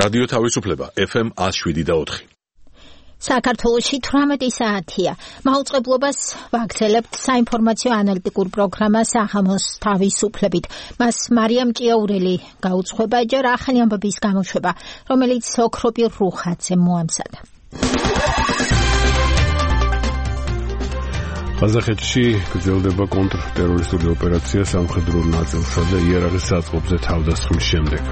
რადიო თავისუფლება FM 107.4. საქართველოში 18 საათია. მაუწყებლობას ვაგრძელებთ საინფორმაციო ანალიტიკურ პროგრამა საღამოს თავისუფლებით. მას მარიამ ჭიაურელი გაუძღვება ჯერ ახალი ამბების გამოშვება, რომელიც ოქროპი რუხაძე მოამზადა. ყაზახეთში გრძელდება კონტრტერორისტული ოპერაცია სამხედრო ნაწილსა და იარაღის საწყობზე თავდასხმის შემდეგ.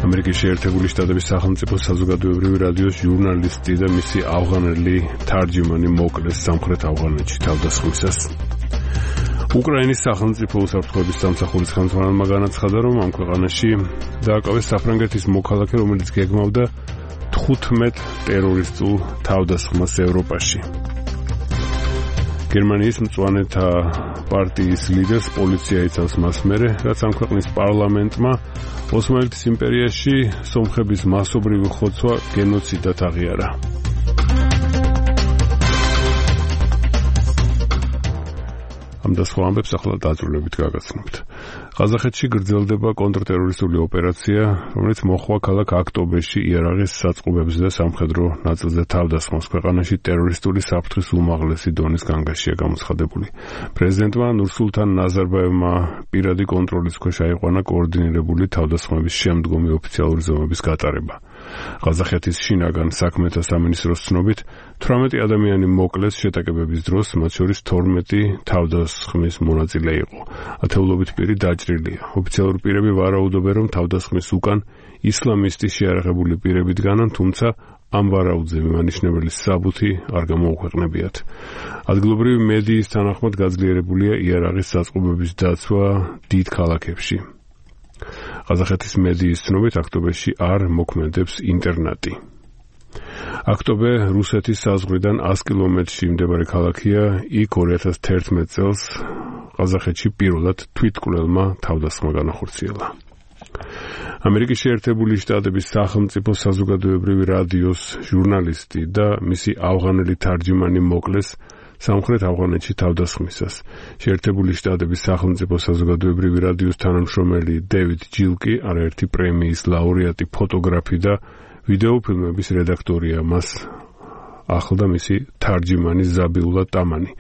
ამერიკის შეერთებული შტატების სახელმწიფო საზოგადოებრივი რადიოს ჟურნალისტი და მისი ავღანელი თარჯიმანი მოკლეს სამხრეთ ავღანეთში თავდასხმისას. უკრაინის სახელმწიფო უსაფრთხოების სამსახურის ხელმძღვანელმა განაცხადა, რომ ამ ქვეყანაში დააკავეს საფრანგეთის მოქალაქე, რომელიც გეგმავდა 15 ტერორისტულ თავდასხმას ევროპაში. გერმანიის მწვანეთა პარტიის ლიდერს პოლიცია იცავს მას მერე, რაც ამ ქვეყნის პარლამენტმა ოსმალეთის იმპერიაში სომხების მასობრივი ხოცვა გენოციდად აღიარა. ამ და სხვა ამბებს ახლა დაძრულებით გაგაცნობთ. ყაზახეთში გრძელდება კონტრტერორისტული ოპერაცია, რომელიც მოხდა ქალაქ აქტობეში იარაღის საწყობებზე და სამხედრო ნაწილზე თავდასხმას. ქვეყანაში ტერორისტული საფრთხის უმაღლესი დონის განგაშია გამოცხადებული. პრეზიდენტმა ნურსულთან ნაზარბაევმა პირადი კონტროლის ქვეშ აიყვანა კოორდინირებული თავდასხმების შემდგომი ოფიციალური ზომების გატარება. ყაზახეთის შინაგან საქმეთა სამინისტროს ცნობით 18 ადამიანი მოკლეს შეტაკებების დროს, მათ შორის 12 თავდასხმის მონაწილე იყო. ათეულობით პირი დაჭრილია. ოფიციალური პირები ვარაუდობენ, რომ თავდასხმის უკან ისლამისტი შეიარაღებული პირები დგანან, თუმცა ამ ვარაუდზე მიმანიშნებელი საბუთი არ გამოუქვეყნებიათ. ადგილობრივი მედიის თანახმად გაძლიერებულია იარაღის საწყობების დაცვა დიდ ქალაქებში. ყაზახეთის მედიის ცნობით აქტობეში არ მოქმედებს ინტერნეტი. აქტობე რუსეთის საზღვრიდან 100 კილომეტრში მდებარე ქალაქია. იქ 2011 წელს ყაზახეთში პირველად თვითმკვლელმა თავდასხმა განახორციელა. ამერიკის შეერთებული შტატების სახელმწიფო საზოგადოებრივი რადიოს ჟურნალისტი და მისი ავღანელი თარჯიმანი მოკლეს სამხრეთ ავღანეთში თავდასხმისას. შეერთებული შტატების სახელმწიფო საზოგადოებრივი რადიოს თანამშრომელი დევიდ ჯილკი, არაერთი პრემიის ლაურეატი ფოტოგრაფი და ვიდეოფილმების რედაქტორია. მას ახლდა მისი თარჯიმანი ზაბიულა ტამანი.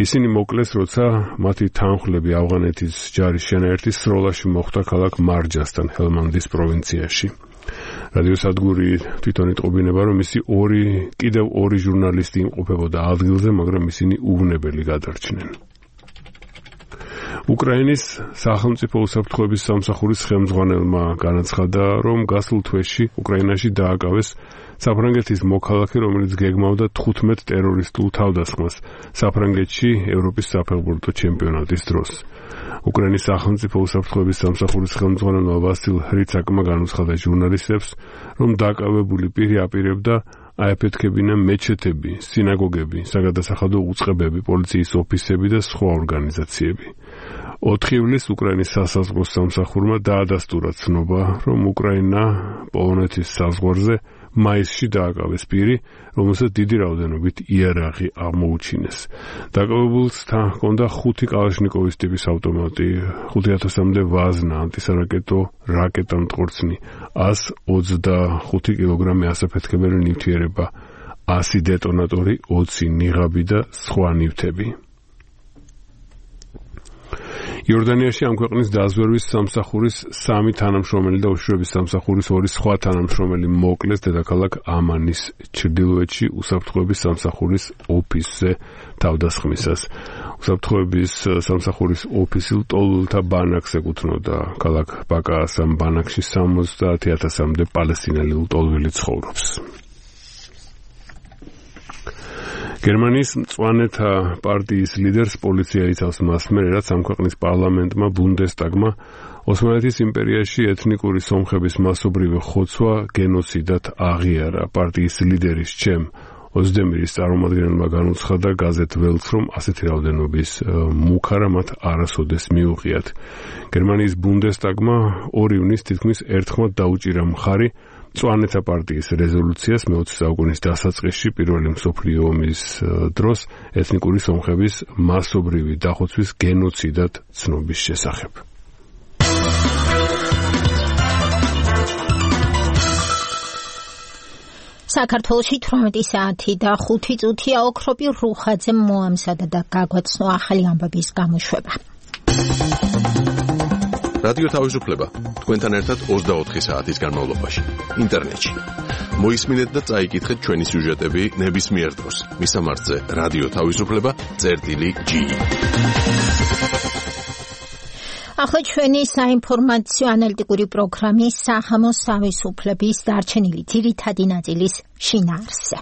ისინი მოკლეს, როცა მათი თანხლები ავღანეთის ჯარის შენაერთის სროლაში მოხვდა ქალაქ მარჯასთან, ჰელმანდის პროვინციაში. რადიოსადგური თვითონ იტყობინება, რომ მისი კიდევ ორი ჟურნალისტი იმყოფებოდა ადგილზე, მაგრამ ისინი უვნებელი გადარჩნენ. უკრაინის სახელმწიფო უსაფრთხოების სამსახურის ხელმძღვანელმა განაცხადა, რომ გასულ თვეში უკრაინაში დააკავეს საფრანგეთის მოქალაქე, რომელიც გეგმავდა 15 ტერორისტულ თავდასხმას საფრანგეთში ევროპის საფეხბურთო ჩემპიონატის დროს. უკრაინის სახელმწიფო უსაფრთხოების სამსახურის ხელმძღვანელმა ვასილ ხრიცაკმა განუცხადა ჟურნალისტებს, რომ დაკავებული პირი აპირებდა აეფეთქებინა მეჩეთები, სინაგოგები, საგადასახადო უწყებები, პოლიციის ოფისები და სხვა ორგანიზაციები. 4 ივლისს უკრაინის სასაზღვრო სამსახურმა დაადასტურა ცნობა, რომ უკრაინა პოლონეთის საზღვარზე მაისში დააკავეს პირი, რომელსაც დიდი რაოდენობით იარაღი აღმოუჩინეს. დაკავებულს ჰქონდა 5 კალაშნიკოვის ტიპის ავტომატი, 5000-მდე ვაზნა, ანტისარაკეტო რაკეტა-მტყორცნი, 125 კილოგრამი ასაფეთქებელი ნივთიერება, 100 დეტონატორი, 20 ნიღაბი და სხვა ნივთები. იორდანიაში ამ ქვეყნის დაზვერვის სამსახურის 3 თანამშრომელი და უშიშროების სამსახურის 2 სხვა თანამშრომელი მოკლეს დედაქალაქ ამანის ჩრდილოეთში უსაფრთხოების სამსახურის ოფისზე თავდასხმისას. უსაფრთხოების სამსახურის ოფისი ლტოლვილთა ბანაკს ეკუთვნოდა. ქალაქ ბაკაას ამ ბანაკში 70,000-მდე პალესტინელი ლტოლვილი ცხოვრობს. გერმანიის მწვანეთა პარტიის ლიდერს პოლიცია იცავს მას მერე, რაც ამ ქვეყნის პარლამენტმა ბუნდესტაგმა ოსმალეთის იმპერიაში ეთნიკური სომხების მასობრივი ხოცვა გენოციდად აღიარა. პარტიის ლიდერის ჩემ ოზდემირის წარმომადგენელმა განუცხადა გაზეთ ველს, რომ ასეთი რაოდენობის მუქარა მათ არასოდეს მიუღიათ. გერმანიის ბუნდესტაგმა 2 ივნისს თითქმის ერთხმად დაუჭირა მხარი მწვანეთა პარტიის რეზოლუციას მე-20 საუკუნის დასაწყისში პირველი მსოფლიო ომის დროს ეთნიკური სომხების მასობრივი დახოცვის გენოციდად ცნობის შესახებ. საქართველოში 18 საათი და 5 წუთია. ოქროპი რუხაძემ მოამზადა და გაგვაცნო ახალი ამბების გამოშვება. რადიო თავისუფლება თქვენთან ერთად 24 საათის განმავლობაში ინტერნეტში. მოისმინეთ და წაიკითხეთ ჩვენი სიუჟეტები ნებისმიერ დროს. მისამართზე რადიო თავისუფლება.ge. ახლა ჩვენი საინფორმაციო ანალიტიკური პროგრამის საღამოს თავისუფლების დარჩენილი ძირითადი ნაწილის შინაარსზე.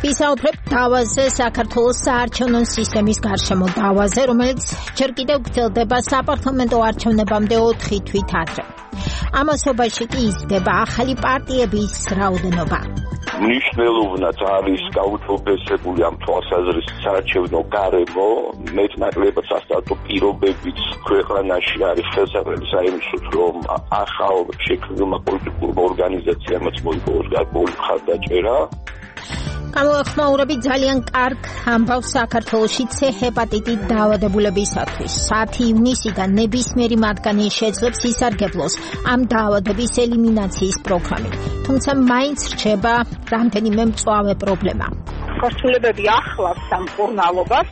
ვისაუბრებთ დავაზე, საქართველოს საარჩევნო სისტემის გარშემო დავაზე, რომელიც ჯერ კიდევ გრძელდება საპარლამენტო არჩევნებამდე 4 თვით ადრე. ამასობაში კი იზრდება ახალი პარტიების რაოდენობა. მნიშვნელოვნად არის გაუთვალისწინებული ამ თვალსაზრისით საარჩევნო გარემო, მეტნაკლებად სასტარტო პირობებიც ქვეყანაში არის ხელსაყრელი საიმისოდ, რომ ახალ შექმნილმა პოლიტიკურმა ორგანიზაციამაც მოიპოვოს გარკვეული მხარდაჭერა. გამოახმაურებით ძალიან კარგ ამბავს საქართველოში C ჰეპატიტით დაავადებულებისათვის. 10 ივნისიდან ნებისმიერი მათგანი შეძლებს ისარგებლოს ამ დაავადების ელიმინაციის პროგრამით. თუმცა მაინც რჩება რამდენიმე მწვავე პრობლემა. ქორწილებები ახლავს ამ მკურნალობას,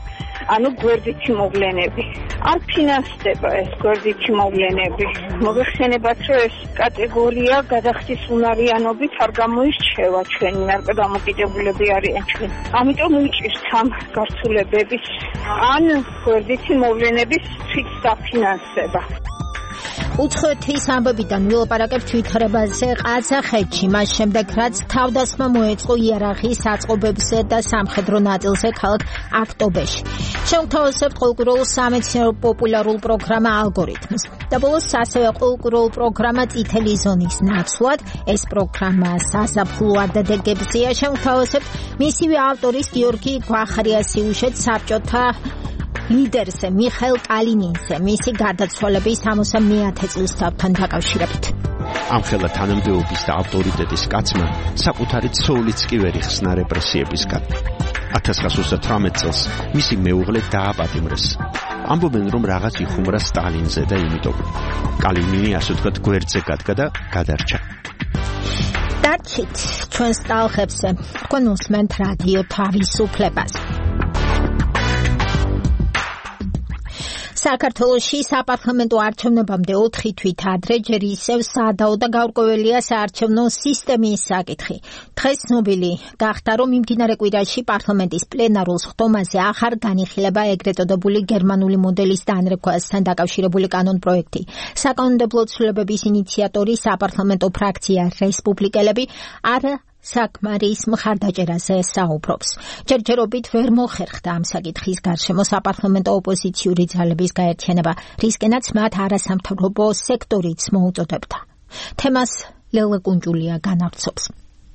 ანუ გვერდითი მოვლენები. არ ფინანსდება ეს გვერდითი მოვლენები. მოიხსენებათ, რომ ეს კატეგორია გადახდის უნარიანობით არ გამოირჩევა ჩვენი ნარკოდამოკიდებულები არიან ჩვენ. ამიტომ უჭირთ ამ ქორწილებების ან გვერდითი მოვლენების თვით დაფინანსება. უცხოეთის ამბებიდან ვილაპარაკებთ თვითრებაზე ყაზახეთში, მას შემდეგ რაც თავდასხმა მოეწყო იარაღის აწყობებზე და სამხედრო ნაწილზე ქალაქ აქტობეში. შევთავაზებთ ყოველკვირეულ სამეცნიერო პოპულარულ პროგრამა ალგორითმს. და ბოლოს ასევე ყოველკვირეულ პროგრამა წითელი ზონის ნაცვლად. ეს პროგრამა საზაფხულო ადაგებზეა. შევთავაზებთ მისივე ავტორის გიორგი გვახარიას სიუჟეტს საბჭოთა ლიდერზე მიხაილ კალინინზე მისი გარდაცვალების 71 წლის თავთან დაკავშირებით. ამხელა თანამდებობის და ავტორიტეტის კაცმა საკუთარი ცოლიც კი ვერ იხსნა რეპრესიებისგან. 1938 წელს მისი მეუღლე დააპატიმრეს. ამბობენ, რომ რაღაც იხუმრა სტალინზე და იმიტომ კალინინი ასე ვთქვათ გვერდზე გადგა და გადარჩა. დარჩით ჩვენს ტალღებზე. თქვენ უსმენთ რადიო თავისუფლებას. საქართველოში საპარლამენტო არჩევნებამდე 4 თვით ადრე ჯერ ისევ სადაო და გაურკვეველია საარჩევნო სისტემის საკითხი. დღეს ცნობილი გახდა, რომ მიმდინარე კვირაში პარლამენტის პლენარულ სხდომაზე ახარ განიხილება ეგრეთ წოდებული გერმანული მოდელის დანერგვასთან დაკავშირებული კანონპროექტი. საკანონმდებლო ცვლილებების ინიციატორი საპარლამენტო ფრაქცია რესპუბლიკელები არა საკმარის მხარდაჭერაზე საუბრობს. ჯერჯერობით ვერ მოხერხდა ამ საკითხის გარშემო საპარლამენტო ოპოზიციური ძალების გაერთიანება, რისკენაც მათ არასამთავრობო სექტორიც მოუწოდებდა. თემას ლელა კუნჯულია განავრცობს.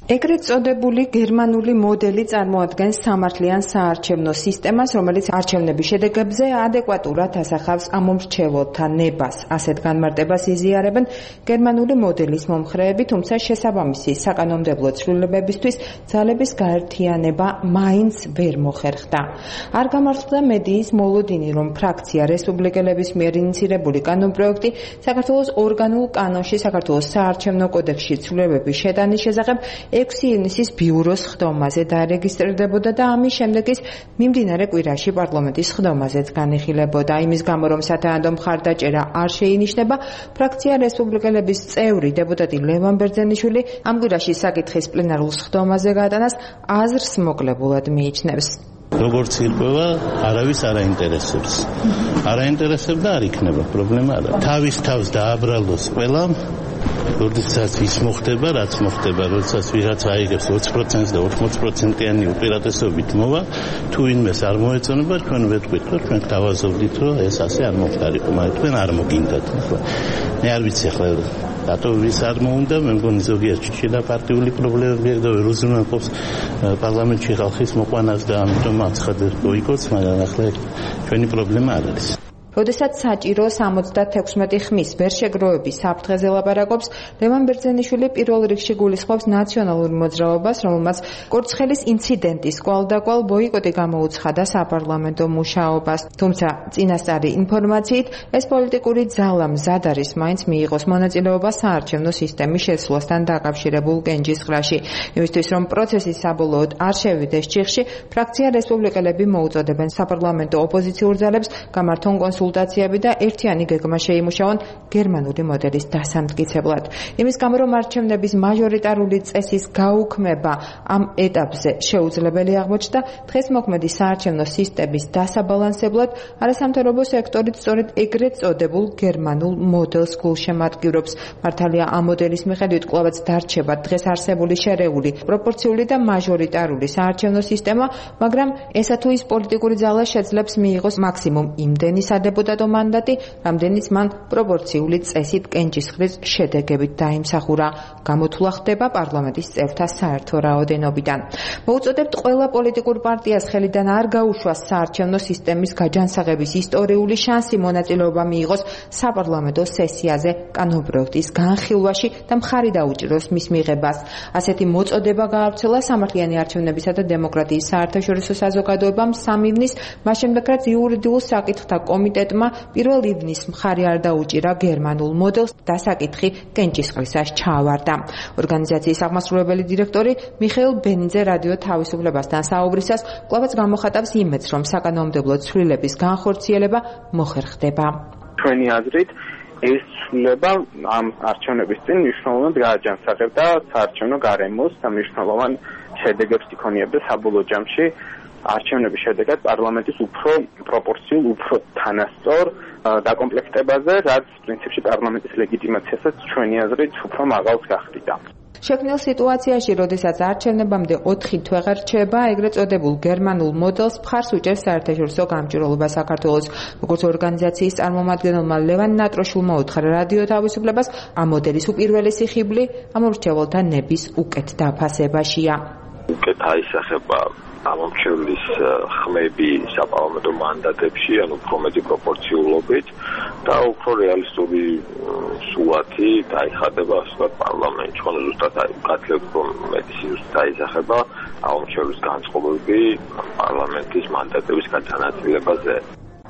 ეგრეთ წოდებული გერმანული მოდელი წარმოადგენს სამართლიან საარჩევნო სისტემას, რომელიც არჩევნების შედეგებზე ადეკვატურად ასახავს ამომრჩეველთა ნებას. ასეთ განმარტებას იზიარებენ გერმანული მოდელის მომხრეები, თუმცა შესაბამისი საკანონმდებლო ცვლილებებისთვის ძალების გაერთიანება მაინც ვერ მოხერხდა. არ გამართლდა მედიის მოლოდინი, რომ ფრაქცია რესპუბლიკელების მიერ ინიცირებული კანონპროექტი საქართველოს ორგანულ კანონში საქართველოს საარჩევნო კოდექსში ცვლილებების შეტანის შესახებ 6 ივნისის ბიუროს სხდომაზე დარეგისტრირდებოდა და ამის შემდეგ ის მიმდინარე კვირაში პარლამენტის სხდომაზეც განიხილებოდა. იმის გამო, რომ სათანადო მხარდაჭერა არ შეინიშნება, ფრაქცია რესპუბლიკელების წევრი დეპუტატი ლევან ბერძენიშვილი ამ კვირაში საკითხის პლენარულ სხდომაზე გატანას აზრს მოკლებულად მიიჩნევს. როგორც ირკვევა, არავის არ აინტერესებს. არ აინტერესებდა, არ იქნება პრობლემა არა. თავის თავს დააბრალოს ყველამ. როდესაც ის მოხდება, რაც მოხდება, როდესაც ვიღაც აიგებს 20% და 80%-იანი უპირატესობით მოვა, თუ ვინმეს არ მოეწონება, ჩვენ ვეთქვით, რომ ჩვენ გავაზრდით, რომ ეს ასე არ მოხდარიყო, მაგრამ თქვენ არ მოგინდათ. მე არ ვიცი ახლა რატო ვის არ მოუნდა, მე მგონი ზოგიერთი შედა პარტიული პრობლემები და ვერ უზრუნველყოფს პარლამენტში ხალხის მოყვანას და ამიტომ აცხადებს ბოიკოტს, მაგრამ ახლა ჩვენი პრობლემა არ არის. როდესაც საჭირო 76 ხმის ვერ შეგროვების საფრთხეზე ლაპარაკობს, ლევან ბერძენიშვილი პირველ რიგში გულისხმობს ნაციონალურ მოძრაობას, რომელმაც კურცხელის ინციდენტის კვალდაკვალ ბოიკოტი გამოუცხადა საპარლამენტო მუშაობას. თუმცა წინასწარი ინფორმაციით ეს პოლიტიკური ძალა მზად არის მაინც მიიღოს მონაწილეობა საარჩევნო სისტემის შეცვლასთან დაკავშირებულ კენჭისყრაში. იმისთვის რომ პროცესი საბოლოოდ არ შევიდეს ჭიხში, ფრაქცია რესპუბლიკელები მოუწოდებენ საპარლამენტო ოპოზიციურ ძალებს გამართონ კონსულტაციები და ერთიანი გეგმა შეიმუშაონ გერმანული მოდელის დასამტკიცებლად. იმის გამო რომ არჩევნების მაჟორიტარული წესის გაუქმება ამ ეტაპზე შეუძლებელი აღმოჩნდა, დღეს მოქმედი საარჩევნო სისტემის დასაბალანსებლად არასამთავრობო სექტორით სწორედ ეგრეთ წოდებულ გერმანულ მოდელს გულშემატკივრობს. მართალია ამ მოდელის მიხედვით კვლავაც დარჩება დღეს არსებული შერეული, პროპორციული და მაჟორიტარული საარჩევნო სისტემა, მაგრამ ესა თუ ის პოლიტიკური ძალა შეძლებს მიიღოს მაქსიმუმ იმდენი სადეპუტატო მანდატი, რამდენიც მან პროპორციული წესით კენჭისყრის შედეგებით დაიმსახურა. გამოთვლა ხდება პარლამენტის წევრთა საერთო რაოდენობიდან. მოუწოდებთ ყველა პოლიტიკურ პარტიას ხელიდან არ გაუშვას საარჩევნო სისტემის გაჯანსაღების ისტორიული შანსი მონაწილეობა მიიღოს საპარლამენტო სესიაზე კანონპროექტის განხილვაში და მხარი დაუჭიროს მის მიღებას. ასეთი მოწოდება გაავრცელა სამართლიანი არჩევნებისა და დემოკრატიის საერთაშორისო საზოგადოებამ 3 ივნის, მას შემდეგ რაც იურიდიულ საკითხთა კომიტეტმა 1 ივნის მხარი არ დაუჭირა გერმანულ მოდელს და საკითხი კენჭისყრისას ჩაავარდა. ორგანიზაციის აღმასრულებელი დირექტორი მიხეილ ბენიძე რადიო თავისუფლებასთან საუბრისას კვლავაც გამოხატავს იმედს, რომ საკანონმდებლო ცვლილების განხორციელება მოხერხდება. ჩვენი აზრით ეს ცვლილება ამ არჩევნების წინ მნიშვნელოვნად გააჯანსაღებდა საარჩევნო გარემოს და მნიშვნელოვან შედეგებს იქონიებდა საბოლოო ჯამში არჩევნების შედეგად პარლამენტის უფრო პროპორციულ, უფრო თანასწორ დაკომპლექტებაზე, რაც პრინციპში პარლამენტის ლეგიტიმაციასაც ჩვენი აზრით უფრო მაღალს გახდიდა. შექმნილ სიტუაციაში, როდესაც არჩევნებამდე 4 თვე რჩება, ეგრეთ წოდებულ გერმანულ მოდელს მხარს უჭერს საერთაშორისო გამჭირვალობა საქართველოს. როგორც ორგანიზაციის წარმომადგენელმა ლევან ნატროშულმა უთხრა რადიო თავისუფლებას, ამ მოდელის უპირველესი ხიბლი ამორჩეველთა ნების უკეთ დაფასებაშია. უკეთ აისახება ამორჩევლის ხმები საპარლამენტო მანდატებში, ანუ უფრო მეტი პროპორციულობით და უფრო რეალისტური სურათი დაიხატება ასეთ პარლამენტში, ანუ ზუსტად გათლებ რომ მეტი სიუჟეტი დაისახება ამორჩევლის განწყობები პარლამენტის მანდატების განაწილებაზე.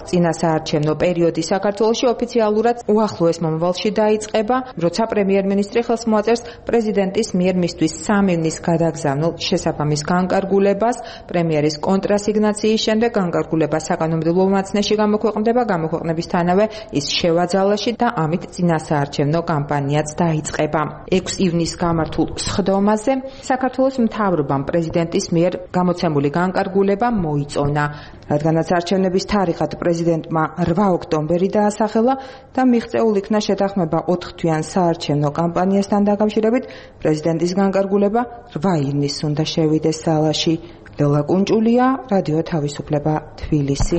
წინა საარჩევნო პერიოდი საქართველოში ოფიციალურად უახლოეს მომავალში დაიწყება, როცა პრემიერ-მინისტრი ხელს მოაწერს პრეზიდენტის მიერ მისთვის 3 ივნის გადაგზავნილ შესაბამის განკარგულებას. პრემიერის კონტრასიგნაციის შემდეგ განკარგულება საკანონმდებლო უმაცნეში გამოქვეყნდება, გამოქვეყნებისთანავე ის შევაძალაში და ამით წინა საარჩევნო კამპანიაც დაიწყება. 6 ივნის გამართულ სხდომაზე საქართველოს მთავრობამ პრეზიდენტის მიერ გამოცემული განკარგულება მოიწონა. რადგანაც არჩევნების თარიღად პრეზიდენტმა 8 ოქტომბერი დაასახელა და მიღწეულ იქნა შეთანხმება 4 თვიან საარჩევნო კამპანიასთან დაკავშირებით, პრეზიდენტის განკარგულება 8 ივნის უნდა შევიდეს სალაში. ლელა კუნჭულია, რადიო თავისუფლება, თბილისი.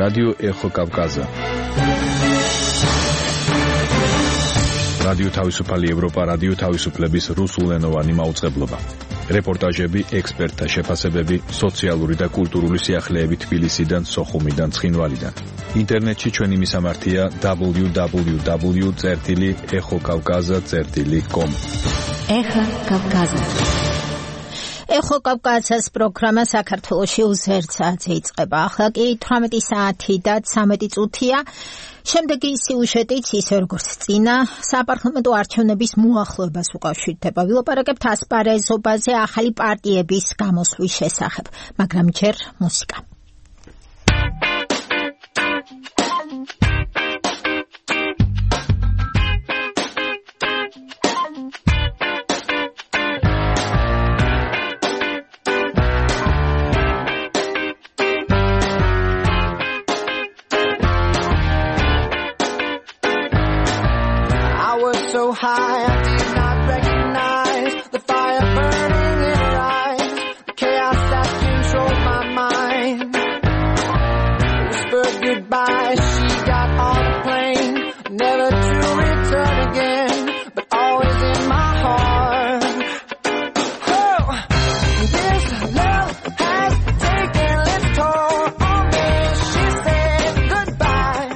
რადიო ეხო კავკაზა. რადიო თავისუფალი ევროპა, რადიო თავისუფლების რუსულენოვანი მაუწყებლობა. რეპორტაჟები, ექსპერტთა შეფასებები, სოციალური და კულტურული სიახლეები თბილისიდან, სოხუმიდან, ცხინვალიდან. ინტერნეტში ჩვენი მისამართია www.exokavkaza.com. ეხა კავკაზა. ეხო კავკაზას პროგრამა საქართველოში უზერცაძე იწყება. ახლა კი 18 საათი და 13 წუთია. შემდეგი სიუჟეტიც ისე როგორც წინა საპარლამენტო არჩევნების მოახლოებას უკავშირდება. ვილაპარაკებთ ასპარეზობაზე ახალი პარტიების გამოსვლის შესახებ, მაგრამ ჯერ მუსიკა. So high, I did not recognize the fire burning in her eyes, the chaos that controlled my mind. Whispered goodbye, she got on a plane, never to return again, but always in my heart. Oh, this love has taken its toll on me. She said goodbye.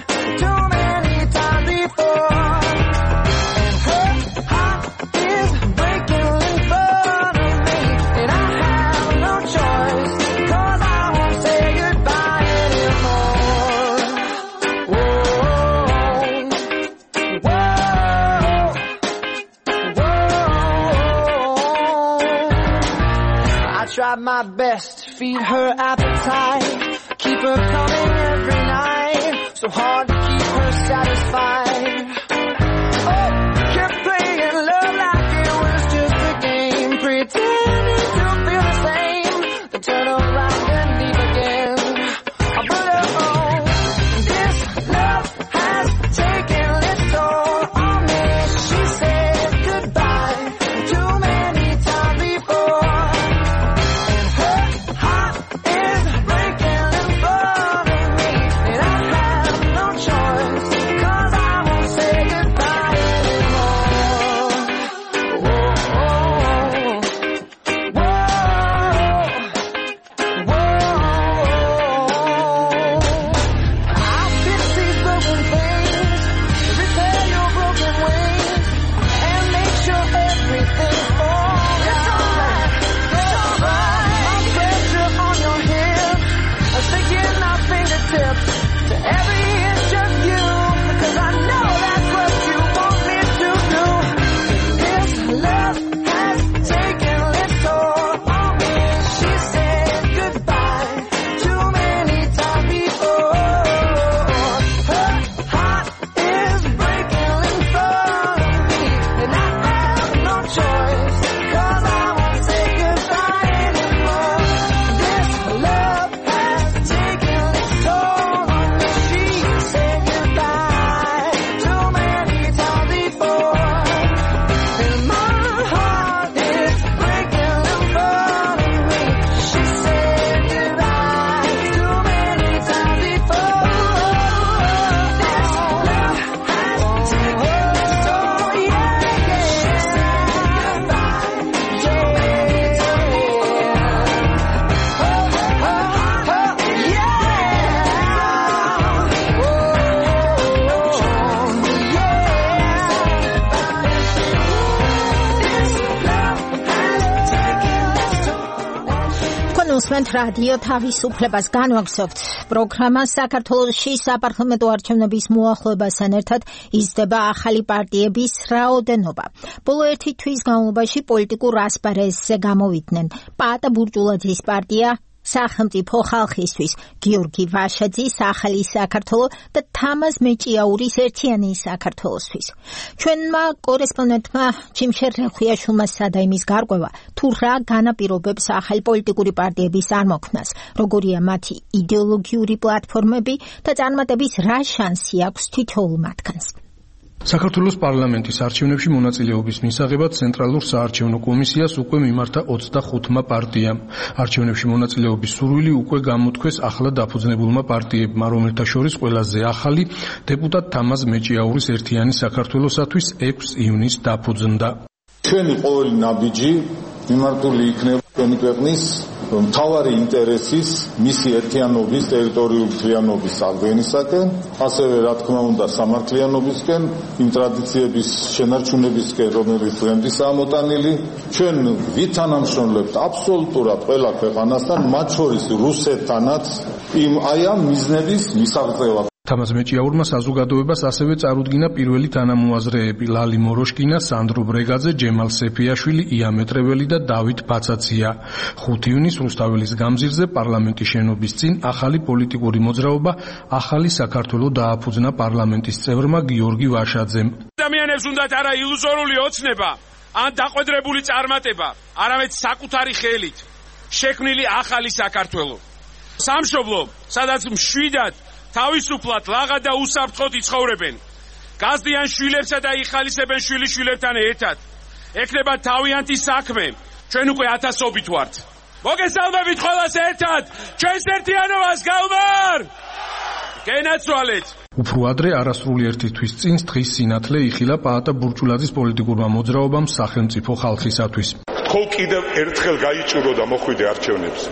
try my best to feed her appetite, keep her coming every night, so hard to keep her satisfied. Oh, kept playing love like it was just a game, pretending to feel the same, then turn around and leave again. But oh, this love has taken its toll on me. She said goodbye too many times before, and her heart is breaking in front of me, and I have no choice, 'cause I won't say goodbye anymore. Whoa, whoa, whoa. I'll fix these broken things, repair your broken wings, and make sure everything's alright. It's alright, it's alright. My pressure on your hip, sticking our fingertips to every inch of you, because I know that's what you want me to do. This love has taken its toll on me. She said goodbye too many times before. Her heart is breaking in front of me, and I have no choice, 'cause I won't say goodbye anymore. This love has taken its toll on me. She said goodbye too many times before, and my heart is breaking in front of me. She said goodbye too many times before. This love has taken its toll, yeah, yeah. She said goodbye too many times before. უსმენთ რადიო თავისუფლებას, განვაგრძობთ პროგრამას. საქართველოში საპარლამენტო არჩევნების მოახლოებასთან ერთად იზრდება ახალი პარტიების რაოდენობა. ბოლო ერთი თვის განმავლობაში პოლიტიკურ ასპარეზზე გამოვიდნენ პაატა ბურჭულაძის პარტია, სახელმწიფო ხალხისთვის, გიორგი ვაშაძის ახალი საქართველო და თამაზ მეჭიაურის ერთიანი საქართველოსთვის. ჩვენმა კორესპონდენტმა ჩიმშერ რეხვიაშვილმა სცადა იმის გარკვევა, თუ რა განაპირობებს ახალი პოლიტიკური პარტიების წარმოქმნას, როგორია მათი იდეოლოგიური პლატფორმები და წარმატების რა შანსი აქვს თითოეულ მათგანს. საქართველოს პარლამენტის არჩევნებში მონაწილეობის მისაღებად ცენტრალურ საარჩევნო კომისიას უკვე მიმართა 25 პარტიამ. არჩევნებში მონაწილეობის სურვილი უკვე გამოთქვეს ახლა დაფუძნებულმა პარტიებმა, რომელთა შორის ყველაზე ახალი დეპუტატ თამაზ მეჭიაურის ერთიანი საქართველოსათვის 6 ივნისს დაფუძნდა. ჩვენი ყოველი ნაბიჯი მიმართული იქნება ჩვენი ქვეყნის მთავარი ინტერესის, მისი ერთიანობის, ტერიტორიული მთლიანობის აღდგენისაკენ, ასევე რა თქმა უნდა სამართლიანობისკენ, იმ ტრადიციების შენარჩუნებისკენ, რომელიც დღემდეა მოტანილი. ჩვენ ვითანამშრომლებთ აბსოლუტურად ყველა ქვეყანასთან, მათ შორის რუსეთთანაც, აი ამ მიზნების მისაღწევად. თამაზ მეჭიაურმა საზოგადოებას ასევე წარუდგინა პირველი თანამოაზრეები ლალი მოროშკინა, სანდრო ბრეგაძე, ჯემალ სეფიაშვილი, ია მეტრეველი და დავით ბაცაცია. 5 ივნისს რუსთაველის გამზირზე პარლამენტის შენობის წინ ახალი პოლიტიკური მოძრაობა ახალი საქართველო დააფუძნა პარლამენტის წევრმა გიორგი ვაშაძემ. ადამიანებს უნდათ არა ილუზორული ოცნება ან დაყვედრებული წარმატება, არამედ საკუთარი ხელით შექმნილი ახალი საქართველო. სამშობლო, სადაც მშვიდად თავისუფლად, ლაღად და უსაფრთხოდ იცხოვრებენ. გაზდიან შვილებსა და იხალისებენ შვილიშვილებთან ერთად. ექნება თავიანთი საქმე. ჩვენ უკვე ათასობით ვართ. მოგესალმებით ყველას ერთად. ჩვენს ერთიანობას გავმარ! გენაცვალეთ. უფრო ადრე არასრული ერთი თვის წინ დღის სინათლე იხილა პაატა ბურჭულაძის პოლიტიკურმა მოძრაობამ სახელმწიფო ხალხისათვის. თქო კიდევ ერთხელ გაიჭირო და მოხვიდე არჩევნებზე.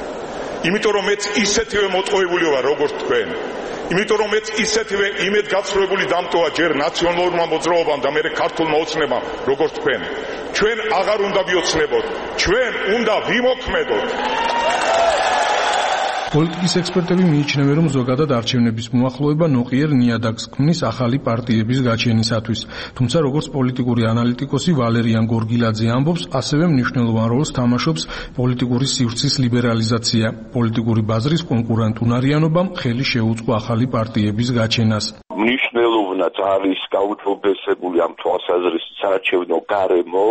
იმიტომ რომ მეც ისეთივე მოტყუებული ვარ როგორც თქვენ. იმიტომ რომ მეც ისეთივე იმედგაცრუებული დამტოვა ჯერ ნაციონალურმა მოძრაობამ და მერე ქართულმა ოცნებამ როგორც თქვენ. ჩვენ აღარ უნდა ვიოცნებოთ, ჩვენ უნდა ვიმოქმედოთ. პოლიტიკის ექსპერტები მიიჩნევენ, რომ ზოგადად არჩევნების მოახლოება ნოყიერ ნიადაგს ქმნის ახალი პარტიების გაჩენისათვის. თუმცა როგორც პოლიტიკური ანალიტიკოსი ვალერიან გორგილაძე ამბობს, ასევე მნიშვნელოვან როლს თამაშობს პოლიტიკური სივრცის ლიბერალიზაცია. პოლიტიკური ბაზრის კონკურენტუნარიანობამ ხელი შეუწყო ახალი პარტიების გაჩენას. მნიშვნელოვნად არის გაუჯობესებული ამ თვალსაზრისით საარჩევნო გარემო,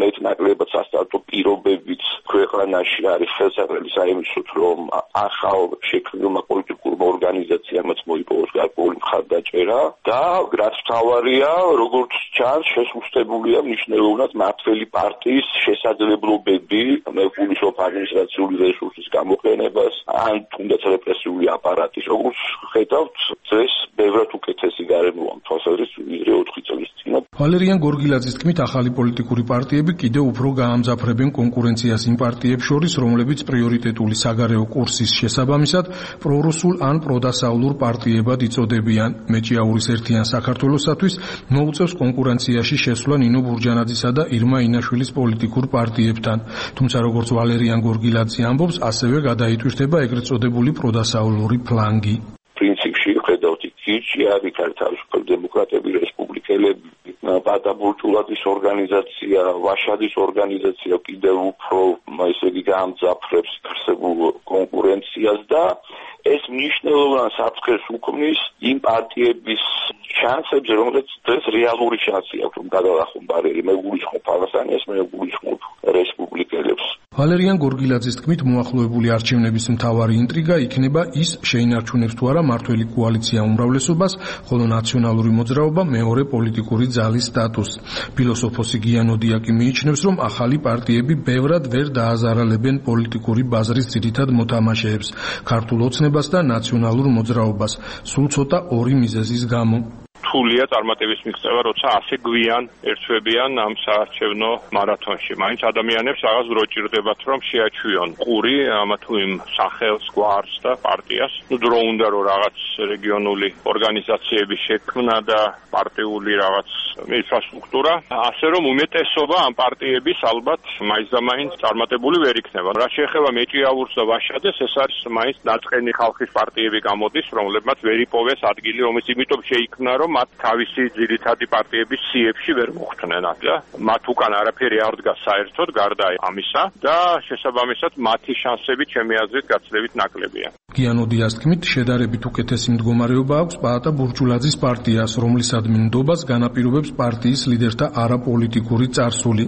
მეტნაკლებად სასტარტო პირობებით ქვეყანაში არის ხელსაყრელი საიმისოდ, რომ ახალ შექმნილმა პოლიტიკურმა ორგანიზაციამ მოიპოვოს გარკვეული მხარდაჭერა და რაც მთავარია, როგორც ჩანს, შესუსტებულია მნიშვნელოვნად მმართველი პარტიის შესაძლებლობები, მეგულისხმობ ადმინისტრაციული რესურსის გამოყენებას, ან თუნდაც რეპრესიული აპარატის, როგორც ხედავთ, დღეს ბევრად უკეთესი გარემოა თვალსაზრისით, ვიდრე 4 წლის წინ. ვალერიან გორგილაძის თქმით, ახალი პოლიტიკური პარტიები კიდევ უფრო გაამძაფრებენ კონკურენციას იმ პარტიებს შორის, რომლებიც პრიორიტეტული საგარეო კურსის შესაბამისად პრორუსულ ან პროდასავლურ პარტიებად იწოდებიან. მეჭიაურის ერთიან საქართველოსათვის მოუწევს კონკურენციაში შესვლა ნინო ბურჯანაძისა და ირმა ინაშვილის პოლიტიკურ პარტიებთან. თუმცა როგორც ვალერიან გორგილაძე ამბობს, ასევე გადაიტვირთება ეგრეთ წოდებული პროდასავლური ფლანგი. პრინციპში ხედავთ იქი არის თავისუფლ დემოკრატები, რესპუბლიკელები, პატაბურჭულაძის ორგანიზაცია, ვაშადის ორგანიზაცია კიდევ უფრო ესე იგი გაამძაფრებს არსებულ კონკურენციას და ეს მნიშვნელოვან საფრთხეს უქმნის იმ პარტიების შანსებს, რომელსაც დღეს რეალური შანსი აქვს, რომ გადალახონ ბარიერი, მეგულისხმობ ავასანიას, მეგულისხმობ რესპუბლიკელებს. ვალერიან გორგილაძის თქმით, მოახლოებული არჩევნების მთავარი ინტრიგა იქნება ის, შეინარჩუნებს თუ არა მართველი კოალიცია უმრავლესობას, ხოლო ნაციონალური მოძრაობა მეორე პოლიტიკური ძალის სტატუსს. ფილოსოფოსი გიანოდიაკი მიიჩნევს, რომ ახალი პარტიები ბევრად ვერ დააზარალებენ პოლიტიკური ბაზრის ძირითად მოთამაშეებს, ქართულ ოცნებას და ნაციონალურ მოძრაობას, სულ ცოტა ორი მიზეზის გამო. რთულია წარმატების მიღწევა, როცა ასე გვიან ერთვებიან ამ საარჩევნო მარათონში. მაინც ადამიანებს რაღაც დრო ჭირდებათ, რომ შეაჩვიონ ყური ამა თუ იმ სახელს, გვარს და პარტიას. დრო უნდა რომ რაღაც რეგიონული ორგანიზაციების შექმნა და პარტიული რაღაც ინფრასტრუქტურა, ასე რომ უმეტესობა ამ პარტიების ალბათ მაინც და მაინც წარმატებული ვერ იქნება. რაც შეეხება მეჭიაურს და ვაშადეს, ეს არის მაინც ნაწყენი ხალხის პარტიები გამოდის, რომლებმაც ვერ იპოვეს ადგილი, რომელიც იმიტომ შეიქმნა, რომ მათ თავისი ძირითადი პარტიების სიებში ვერ მოხვდნენ და მათ უკან არაფერი არ დგას საერთოდ გარდა ამისა და შესაბამისად მათი შანსები ჩემი აზრით გაცილებით ნაკლებია. გიანოდიას თქმით, შედარებით უკეთესი მდგომარეობა აქვს პაატა ბურჯულაძის პარტიას, რომლისადმი ნდობას განაპირობებს პარტიის ლიდერთა არაპოლიტიკური წარსული.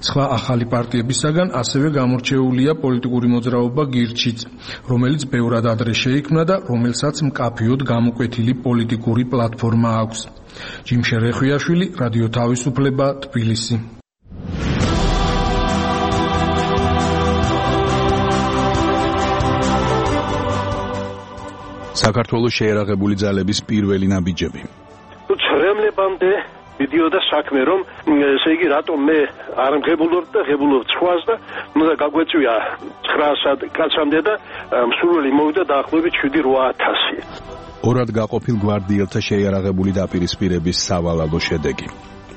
სხვა ახალი პარტიებისაგან ასევე გამორჩეულია პოლიტიკური მოძრაობა გირჩიც, რომელიც ბევრად ადრე შეიქმნა და რომელსაც მკაფიოდ გამოკვეთილი პოლიტიკური პლატფორმა აქვს. ჯიმშე რეხვიაშვილი, რადიო თავისუფლება, თბილისი. საქართველოს შეერაღებული ძალების პირველი ნაბიჯები. ცრემლებამდე მიდიოდა საქმე, რომ ესე იგი რატომ მე არ მღებულობ და ღებულობ სხვას და უნდა გაგვეწვია 900 კაცამდე და მსურველი მოვიდა დაახლოებით 7-8000. ორად გაყოფილ გვარდიელთა შეიარაღებული დაპირისპირების სავალალო შედეგი.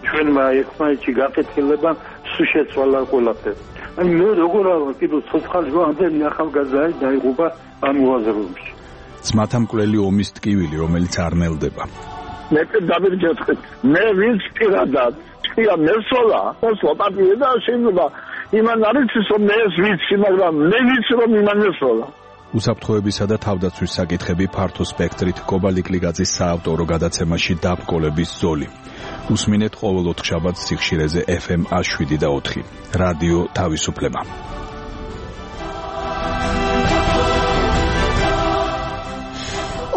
ჩვენმა ერთმანეთში გაკეთილება სულ შეცვალა ყველაფერი. აი მე როგორ არა კიდევ ცოცხალი ამდენი ახალგაზრდა დაიღუპა ამ უაზროებში. ძმათა მკვლელი ომის ტკივილი, რომელიც არ ნელდება. მე დავირჯეთხეთ. მე ვინც პირადად თქვია მესოლა, სლოპატია და შეიძლება იმან არის რომ მე ეს ვიცი, მაგრამ მე ვიცი რომ იმან მესოლა. უსაფრთხოებისა და თავდაცვის საკითხები ფართო სპექტრით კობალიკლიგაძის საავტორო გადაცემაში დაბრკოლების ზოლი. უსმინეთ ყოველ 4 შაბათს სიხშირეზე FM 7 და 4. რადიო თავისუფლება.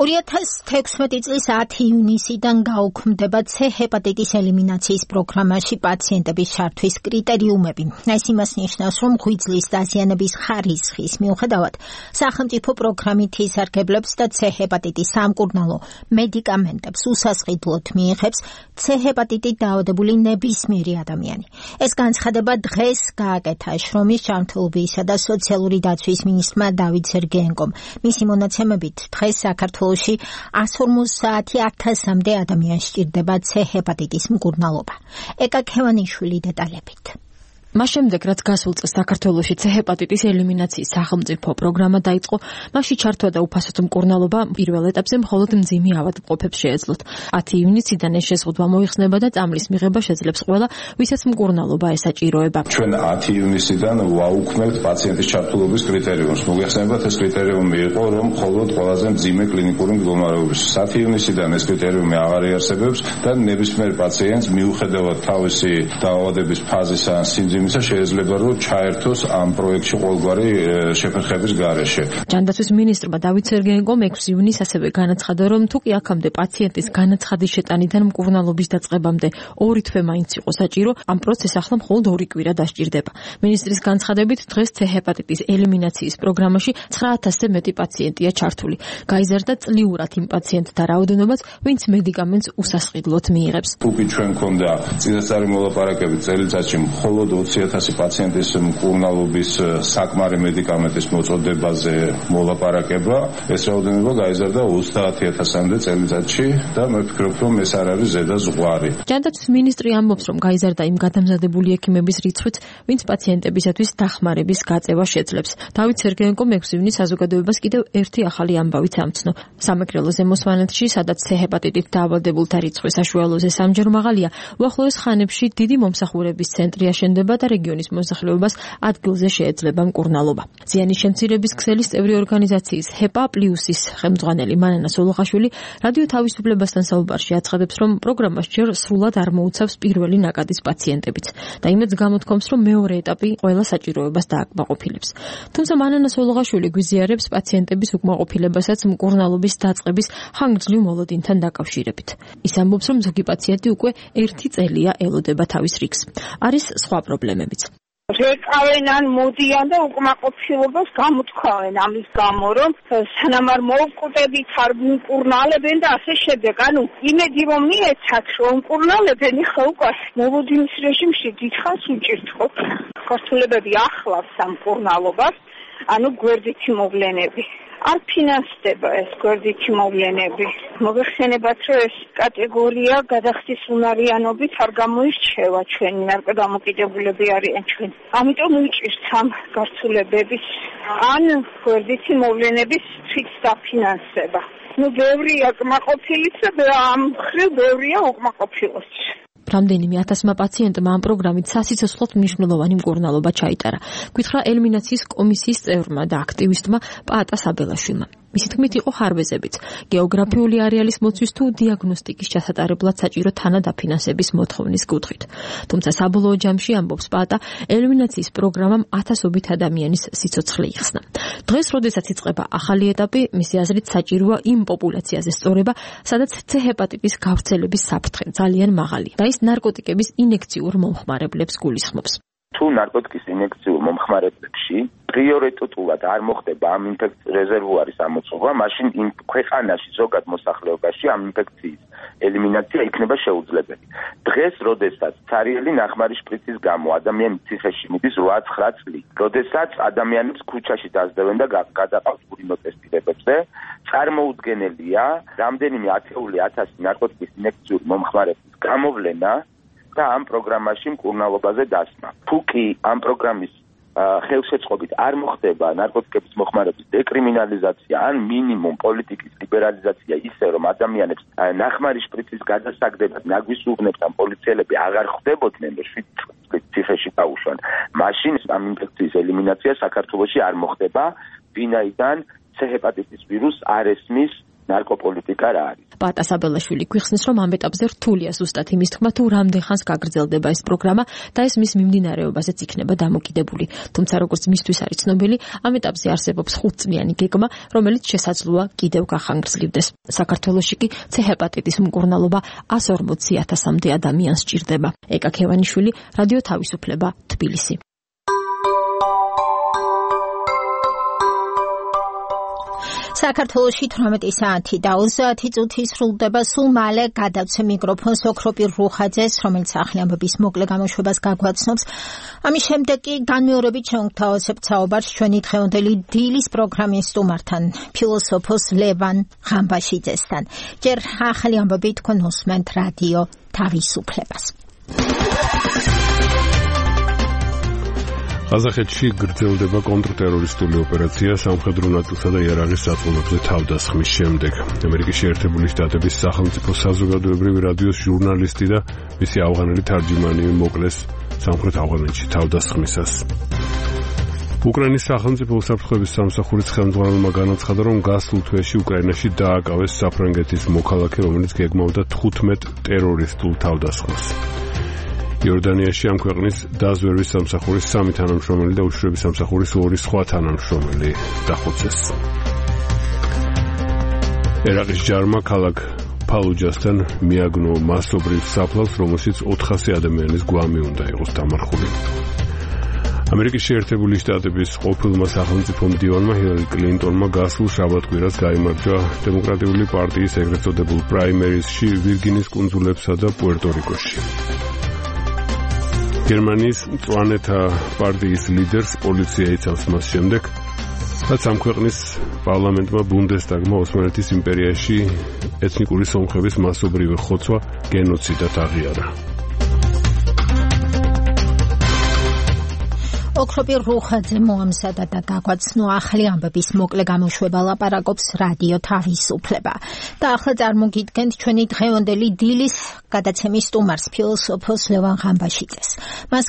2016 წლის 10 ივნისიდან გაუქმდება C ჰეპატიტის ელიმინაციის პროგრამაში პაციენტების ჩართვის კრიტერიუმები. ეს იმას ნიშნავს, რომ ღვიძლის დაზიანების ხარისხის მიუხედავად სახელმწიფო პროგრამით ისარგებლებს და C ჰეპატიტის სამკურნალო მედიკამენტებს უსასყიდლოდ მიიღებს C ჰეპატიტით დაავადებული ნებისმიერი ადამიანი. ეს განცხადება დღეს გააკეთა შრომის ჯანმრთელობისა და სოციალური დაცვის მინისტრმა დავით სერგეენკომ. მისი მონაცემებით დღეს საქართველოში 150,000-მდე ადამიანს სჭირდება C ჰეპატიტის მკურნალობა. ეკა ქევანიშვილი დეტალებით. მას შემდეგ, რაც გასულ წელს საქართველოში C-ჰეპატიტის ელიმინაციის სახელმწიფო პროგრამა დაიწყო, მასში ჩართვა და უფასოდ მკურნალობა პირველ ეტაპზე მხოლოდ მძიმე ავადმყოფებს შეეძლოთ. 10 ივნისიდან ეს შეზღუდვა მოიხსნება და წამლის მიღება შეძლებს ყველა, ვისაც მკურნალობა ესაჭიროება. ჩვენ 10 ივნისიდან ვაუქმებთ პაციენტის ჩართულობის კრიტერიუმს. მოგეხსენებათ, ეს კრიტერიუმი იყო, რომ მხოლოდ ყველაზე მძიმე კლინიკური მდგომარეობის. 10 ივნისიდან ეს კრიტერიუმი აღარ იარსებებს და ნებისმიერ პაციენტს მიუხედავად თავისი დაავადების ფაზისა ან სიმძიმისა შეიძლება რომ ჩაერთოს ამ პროექტში ყოველგვარი შეფერხების გარეშე. ჯანდაცვის მინისტრმა დავით სერგეენკომ 6 ივნისს ასევე განაცხადა, რომ თუ კი აქამდე პაციენტის განაცხადის შეტანიდან მკურნალობის დაწყებამდე 2 თვე მაინც იყო საჭირო, ამ პროცესს ახლა მხოლოდ 2 კვირა დასჭირდება. მინისტრის განცხადებით, დღეს C-ჰეპატიტის ელიმინაციის პროგრამაში 9000-ზე მეტი პაციენტია ჩართული. გაიზარდა წლიურად იმ პაციენტთა რაოდენობაც, ვინც მედიკამენტს უსასყიდლოდ მიიღებს. თუ კი ჩვენ გქონდა წინასწარი მოლაპარაკებით წელიწადში მხოლოდ 20,000 პაციენტის მკურნალობის საკმარი მედიკამენტის მოწოდებაზე მოლაპარაკება, ეს რაოდენობა გაიზარდა 30,000-მდე წელიწადში და მე ვფიქრობ, რომ ეს არ არის ზედა ზღვარი. ჯანდაცვის მინისტრი ამბობს, რომ გაიზარდა იმ გადამზადებული ექიმების რიცხვიც, ვინც პაციენტებისათვის დახმარების გაწევა შეძლებს. დავით სერგეენკომ 6 ივნისს საზოგადოებას კიდევ ერთი ახალი ამბავიც ამცნო. სამეგრელო ზემოსვანეთში, სადაც C-ჰეპატიტით დაავადებულთა რიცხვი საშუალოზე 3-ჯერ მაღალია, უახლოეს ხანებში დიდი მომსახურების ცენტრი აშენდება და რეგიონის მოსახლეობას ადგილზე შეეძლება მკურნალობა. ზიანის შემცირების ქსელის წევრი ორგანიზაციის HEPA+-ის ხელმძღვანელი მანანა სოლოხაშვილი რადიო თავისუფლებასთან საუბარში აცხადებს, რომ პროგრამას ჯერ სრულად არ მოუცავს პირველი ნაკადის პაციენტებიც და იმედს გამოთქვამს, რომ მეორე ეტაპი ყველა საჭიროებას დააკმაყოფილებს. თუმცა მანანა სოლოხაშვილი გვიზიარებს პაციენტების უკმაყოფილებასაც მკურნალობის დაწყების ხანგრძლივ მოლოდინთან დაკავშირებით. ის ამბობს, რომ ზოგი პაციენტი უკვე 1 წელია ელოდება თავის რიგს. არის სხვა პრობლემებიც. რეკავენ ან მოდიან და უკმაყოფილებას გამოთქვავენ ამის გამო, რომ სანამ არ მოვკვდებით, არ მკურნალებენ და ასე შემდეგ. ანუ იმედი რომ მიეცათ, რომ მკურნალებენ, ხა უკვე მოლოდინის რეჟიმში დიდხანს უჭირთ ხო? ქართულებები ახლავს ამ მკურნალობას, ანუ გვერდითი მოვლენები. არ ფინანსდება ეს გვერდითი მოვლენები. მოგეხსენებათ, რომ ეს კატეგორია გადახდის უნარიანობით არ გამოირჩევა, ჩვენი ნარკოდამოკიდებულები არიან ჩვენ. ამიტომ უჭირთ ამ გართულებების ან გვერდითი მოვლენების თვით დაფინანსება. ბევრია კმაყოფილიც და ამ მხრივ ბევრია უკმაყოფილოც. რამდენიმე 1000-მა პაციენტმა ამ პროგრამით სასიცოცხლოდ მნიშვნელოვანი მკურნალობა ჩაიტარა. გითხრა ელიმინაციის კომისიის წევრმა და აქტივისტმა პაატა საბელაშვილმა. მისი თქმით იყო ხარვეზებიც. გეოგრაფიული არეალის მოცვის თუ დიაგნოსტიკის ჩასატარებლად საჭირო თანადაფინანსების მოთხოვნის კუთხით. თუმცა საბოლოო ჯამში ამბობს პაატა, ელიმინაციის პროგრამამ ათასობით ადამიანის სიცოცხლე იხსნა. დღეს, როდესაც იწყება ახალი ეტაპი, მისი აზრით საჭიროა იმ პოპულაციაზე სწორება, სადაც C-ჰეპატიტის გავრცელების საფრთხე ძალიან მაღალია და ის ნარკოტიკების ინექციურ მომხმარებლებს გულისხმობს. თუ ნარკოტიკის ინექციურ მომხმარებლებში პრიორიტეტულად არ მოხდება ამ ინფექციის რეზერვუარის ამოწურვა, მაშინ იმ ქვეყანაში ზოგად მოსახლეობაში ამ ინფექციის ელიმინაცია იქნება შეუძლებელი. დღეს, როდესაც ცარიელი ნახმარი შპრიცის გამო ადამიანი ციხეში მიდის 8-9 წლით, როდესაც ადამიანებს ქუჩაში დაძდევენ და გადაყავს ურინოტესტირებებზე, წარმოუდგენელია რამდენიმე 10,000 ნარკოტიკის ინექციური მომხმარებლის გამოვლენა და ამ პროგრამაში მკურნალობაზე დასმა. თუ კი ამ პროგრამის ხელშეწყობით არ მოხდება ნარკოტიკების მოხმარების დეკრიმინალიზაცია ან მინიმუმ პოლიტიკის ლიბერალიზაცია ისე, რომ ადამიანებს ნახმარი შპრიცის გადასაგდებად ნაგვისუღნებს ან პოლიციელები აღარ ხვდებოდნენ და 7 წლით ციხეში დაუშვან, მაშინ ამ ინფექციის ელიმინაცია საქართველოში არ მოხდება, ვინაიდან C-ჰეპატიტის ვირუსს არ ესმის ნარკოპოლიტიკა რა არის. პაატა საბელაშვილი გვიხსნის, რომ ამ ეტაპზე რთულია ზუსტად იმის თქმა, თუ რამდენ ხანს გაგრძელდება ეს პროგრამა და ეს მის მიმდინარეობაზეც იქნება დამოკიდებული. თუმცა როგორც მისთვის არის ცნობილი, ამ ეტაპზე არსებობს 5-წლიანი გეგმა, რომელიც შესაძლოა კიდევ გახანგრძლივდეს. საქართველოში კი C-ჰეპატიტის მკურნალობა 140,000-მდე ადამიანს სჭირდება. ეკა ქევანიშვილი, რადიო თავისუფლება, თბილისი. საქართველოში 18 საათი და 30 წუთი სრულდება. სულ მალე გადავცე მიკროფონს ოქროპირ რუხაძეს, რომელიც ახალი ამბების მოკლე გამოშვებას გაგვაცნობს. ამის შემდეგ კი განმეორებით შევთავაზებთ საუბარს ჩვენი დღევანდელი დილის პროგრამის სტუმართან, ფილოსოფოს ლევან ღამბაშიძესთან. ჯერ ახალი ამბები თქვენ უსმენთ რადიო თავისუფლებას. ყაზახეთში გრძელდება კონტრტერორისტული ოპერაცია სამხედრო ნაწილსა და იარაღის საწოლებზე თავდასხმის შემდეგ. ამერიკის შეერთებული შტატების სახელმწიფო საზოგადოებრივი რადიოს ჟურნალისტი და მისი ავღანელი თარჯიმანი მოკლეს სამხრეთ ავღანეთში თავდასხმისას. უკრაინის სახელმწიფო უსაფრთხოების სამსახურის ხელმძღვანელმა განაცხადა, რომ გასულ თვეში უკრაინაში დააკავეს საფრანგეთის მოქალაქე, რომელიც გეგმავდა 15 ტერორისტულ თავდასხმას. იორდანიაში ამ ქვეყნის დაზვერვის სამსახურის 3 თანამშრომელი და უშიშროების სამსახურის 2 სხვა თანამშრომელი დახოცეს. ერაყის ჯარმა ქალაქ ფალუჯასთან მიაგნო მასობრივ საფლავს, რომელშიც 400 ადამიანის გვამი უნდა იყოს დამარხული. ამერიკის შეერთებული შტატების ყოფილმა სახელმწიფო მდივანმა ჰილარი კლინტონმა გასულ შაბათ-კვირას გაიმარჯვა დემოკრატიული პარტიის ეგრეთ წოდებულ პრაიმერისში ვირგინის კუნძულებსა და პუერტო-რიკოში. გერმანიის მწვანეთა პარტიის ლიდერს პოლიცია იცავს მას შემდეგ, რაც ამ ქვეყნის პარლამენტმა ბუნდესტაგმა ოსმალეთის იმპერიაში ეთნიკური სომხების მასობრივი ხოცვა გენოციდად აღიარა. ოქროპირ რუხაძე მოამზადა და გაგვაცნო ახალი ამბების მოკლე გამოშვება ლაპარაკობს რადიო თავისუფლება. და ახლა წარმოგიდგენთ ჩვენი დღევანდელი დილის გადაცემის სტუმარს, ფილოსოფოს ლევან ღამბაშიძეს. მას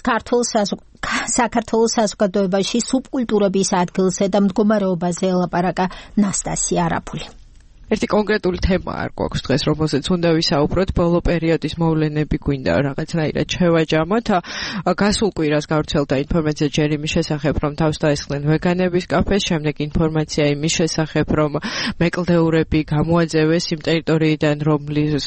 საქართველოს საზოგადოებაში სუბკულტურების ადგილზე და მდგომარეობაზე ელაპარაკა ნასტასია არაფული. ერთი კონკრეტული თემა არ გვაქვს დღეს, რომელზეც უნდა ვისაუბროთ, ბოლო პერიოდის მოვლენები გვინდა რაღაცნაირად შევაჯამოთ. გასულ კვირას გავრცელდა ინფორმაცია ჯერ იმის შესახებ, რომ თავს დაესხნენ ვეგანების კაფეს, შემდეგ ინფორმაცია იმის შესახებ, რომ მეკლდეურები გამოაძევეს იმ ტერიტორიიდან, რომლის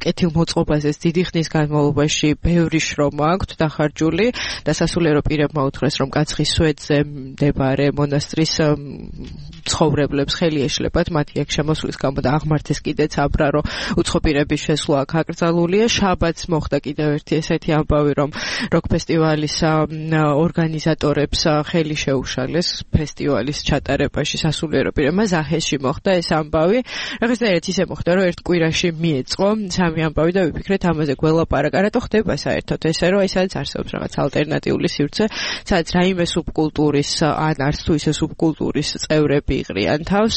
კეთილმოწყობაზეც დიდი ხნის განმავლობაში ბევრი შრომა აქვთ დახარჯული და სასულიერო პირებმა უთხრეს, რომ კაცხის სვეტზე მდებარე მონასტრის ცხოვრებლებს ხელი ეშლებათ მათი აქ შემოსვლის გამო და აღმართეს კიდეც აბრარო უცხოპირების შესვლა აქ აკრძალულია. შაბათს მოხდა კიდევ ერთი ესეთი ამბავი, რომ როკ ფესტივალის ორგანიზატორებს ხელი შეუშალეს ფესტივალის ჩატარებაში სასულიერო პირებმა. ზაჰესში მოხდა ეს ამბავი. რაღაცნაირად ისე მოხდა, რომ ერთ კვირაში მიეწყო სამი ამბავი და ვიფიქრეთ ამაზე გველაპარაკა. რატო ხდება საერთოდ ესე, რომ ეს არის არსებობს რაღაც ალტერნატიული სივრცე, სადაც რაიმე სუბკულტურის ან არც თუ ისე სუბკულტურის წევრები იყრიან თავს,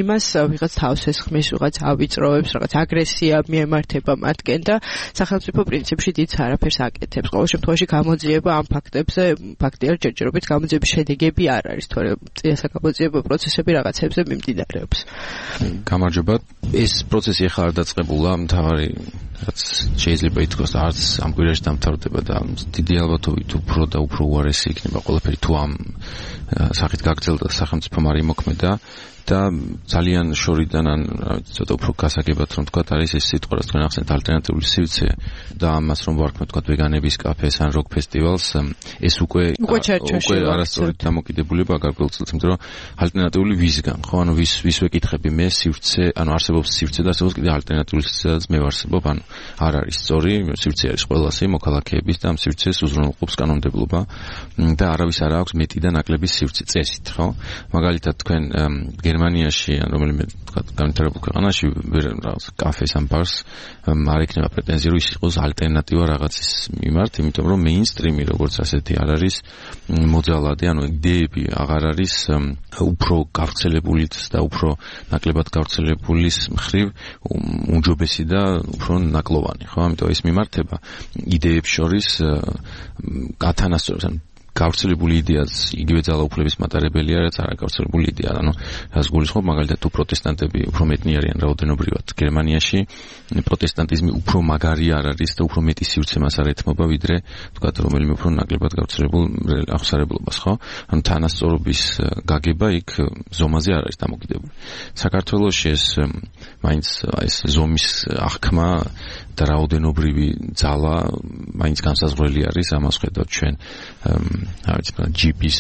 იმას ვიღაც თავს ესხმის, ვიღაც ავიწროვებს, რაღაც აგრესია მიემართება მათკენ და სახელმწიფო პრინციპში დიდ არაფერს აკეთებს. ყოველ შემთხვევაში გამოძიება ამ ფაქტებზე, ფაქტია ჯერჯერობით გამოძიების შედეგები არ არის, თორემ წიასაგამოძიებო პროცესები რაღაცებზე მიმდინარეობს. გამარჯობა. ეს პროცესი ახლა არ დაწყებულა, მთავარი რაც შეიძლება ითქვას, არც ამ კვირაში დამთავრდება და დიდი ალბათობით უფრო და უფრო უარესი იქნება ყველაფერი თუ ამ სახით გაგრძელდა სახელმწიფო არ იმოქმედა. და ძალიან შორიდან ან ცოტა უფრო გასაგებად რომ თქვა არის ეს სიტყვა, რაც თქვენ ახსენეთ ალტერნატიული სივრცე და ამას რომ ვარქმევთ თქვა ვეგანების კაფეს ან როკ ფესტივალს, ეს უკვე არასწორად დამოკიდებულება გარკვეულწილად, იმიტომ რომ ალტერნატიული ვისგან, ხო, ანუ ვის ვეკითხები მე სივრცე, ანუ არსებობს სივრცე და არსებობს კიდე ალტერნატიული სივრცეც მე ვარსებობ, ანუ არ არის სწორი, სივრცე არის ყველასი მოქალაქეების და ამ სივრცეს უზრუნველყოფს კანონმდებლობა და არავის არ აქვს მეტი და ნაკლები სივრცე წესით, ხო? მაგალითად თქვენ გერმანიაში ან რომელიმე თქვა განვითარებულ ქვეყანაში რაღაც კაფეს ან ბარს არ ექნება პრეტენზია რომ ის იყოს ალტერნატივა რაღაცის მიმართ, იმიტომ რომ მეინსტრიმი როგორც ასეთი არ არის მოძალადე, ანუ იდეები აღარ არის უფრო გავრცელებული და უფრო ნაკლებად გავრცელებულის მხრივ უმჯობესი და უფრო ნაკლოვანი, ხო? ამიტომ ეს მიმართება იდეებს შორის გათანასწორებს, გავრცელებული იდეაც იგივე ძალაუფლების მატარებელია, რაც არ გავრცელებული იდეა. ანუ რას გულისხმობ, მაგალითად თუ პროტესტანტები უფრო მეტნი არიან რაოდენობრივად გერმანიაში, პროტესტანტიზმი უფრო მაგარი არ არის და უფრო მეტი სივრცე მას არ ეთმობა, ვიდრე თქვათ რომელიმე უფრო ნაკლებად გავრცელებულ აღმსარებლობას, ხო? ანუ თანასწორობის გაგება იქ ზომაზე არ არის დამოკიდებული. საქართველოში ეს მაინც ეს ზომის აღქმა და რაოდენობრივი ძალა მაინც განსაზღვრელი არის, ამას ხედავთ ჩვენ ჯიპის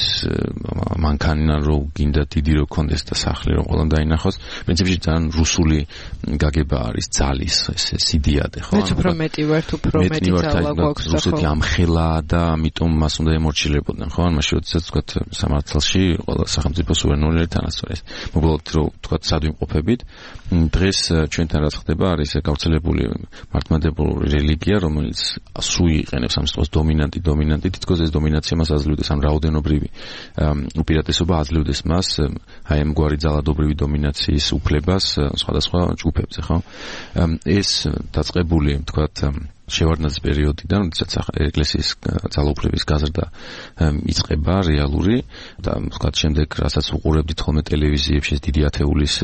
მანქანა რო გინდა დიდი რო კონდეს და სახლი რო ყველამ დაინახოს, პრინციპში ძალიან რუსული გაგება არის ძალის ეს იდეადე, ხო? მეც უფრო მეტი ვართ, უფრო მეტი ძალა გვაქვს, ხო? რუსეთი ამხელა და ამიტომ მას უნდა ემორჩილებოდნენ, ხო? ან მაშინ როდესაც თქვათ სამართალში ყველა სახელმწიფო სუვერენული თანასწორია. მოკლედ რო თქვათ სადვიმყოფებით, დღეს ჩვენთან რაც ხდება არის გავრცელებული მართლმადიდებლური რელიგია, რომელიც სულ იყენებს ამ სიტყვას დომინანტი, თითქოს ეს დომინაცია მას აძლევდეს ამ რაოდენობრივი უპირატესობა აძლევდეს მას აი ამგვარი ძალადობრივი დომინაციის უფლებას სხვადასხვა ჯგუფებზე, ხო? ეს დაწყებული, თქვათ, შევარდნაძის პერიოდიდან, როდესაც ეკლესიის ძალაუფლების გაზრდა იწყება რეალური და თქვათ შემდეგ, რასაც უყურებდით ხოლმე ტელევიზიებში, დიდი ათეულის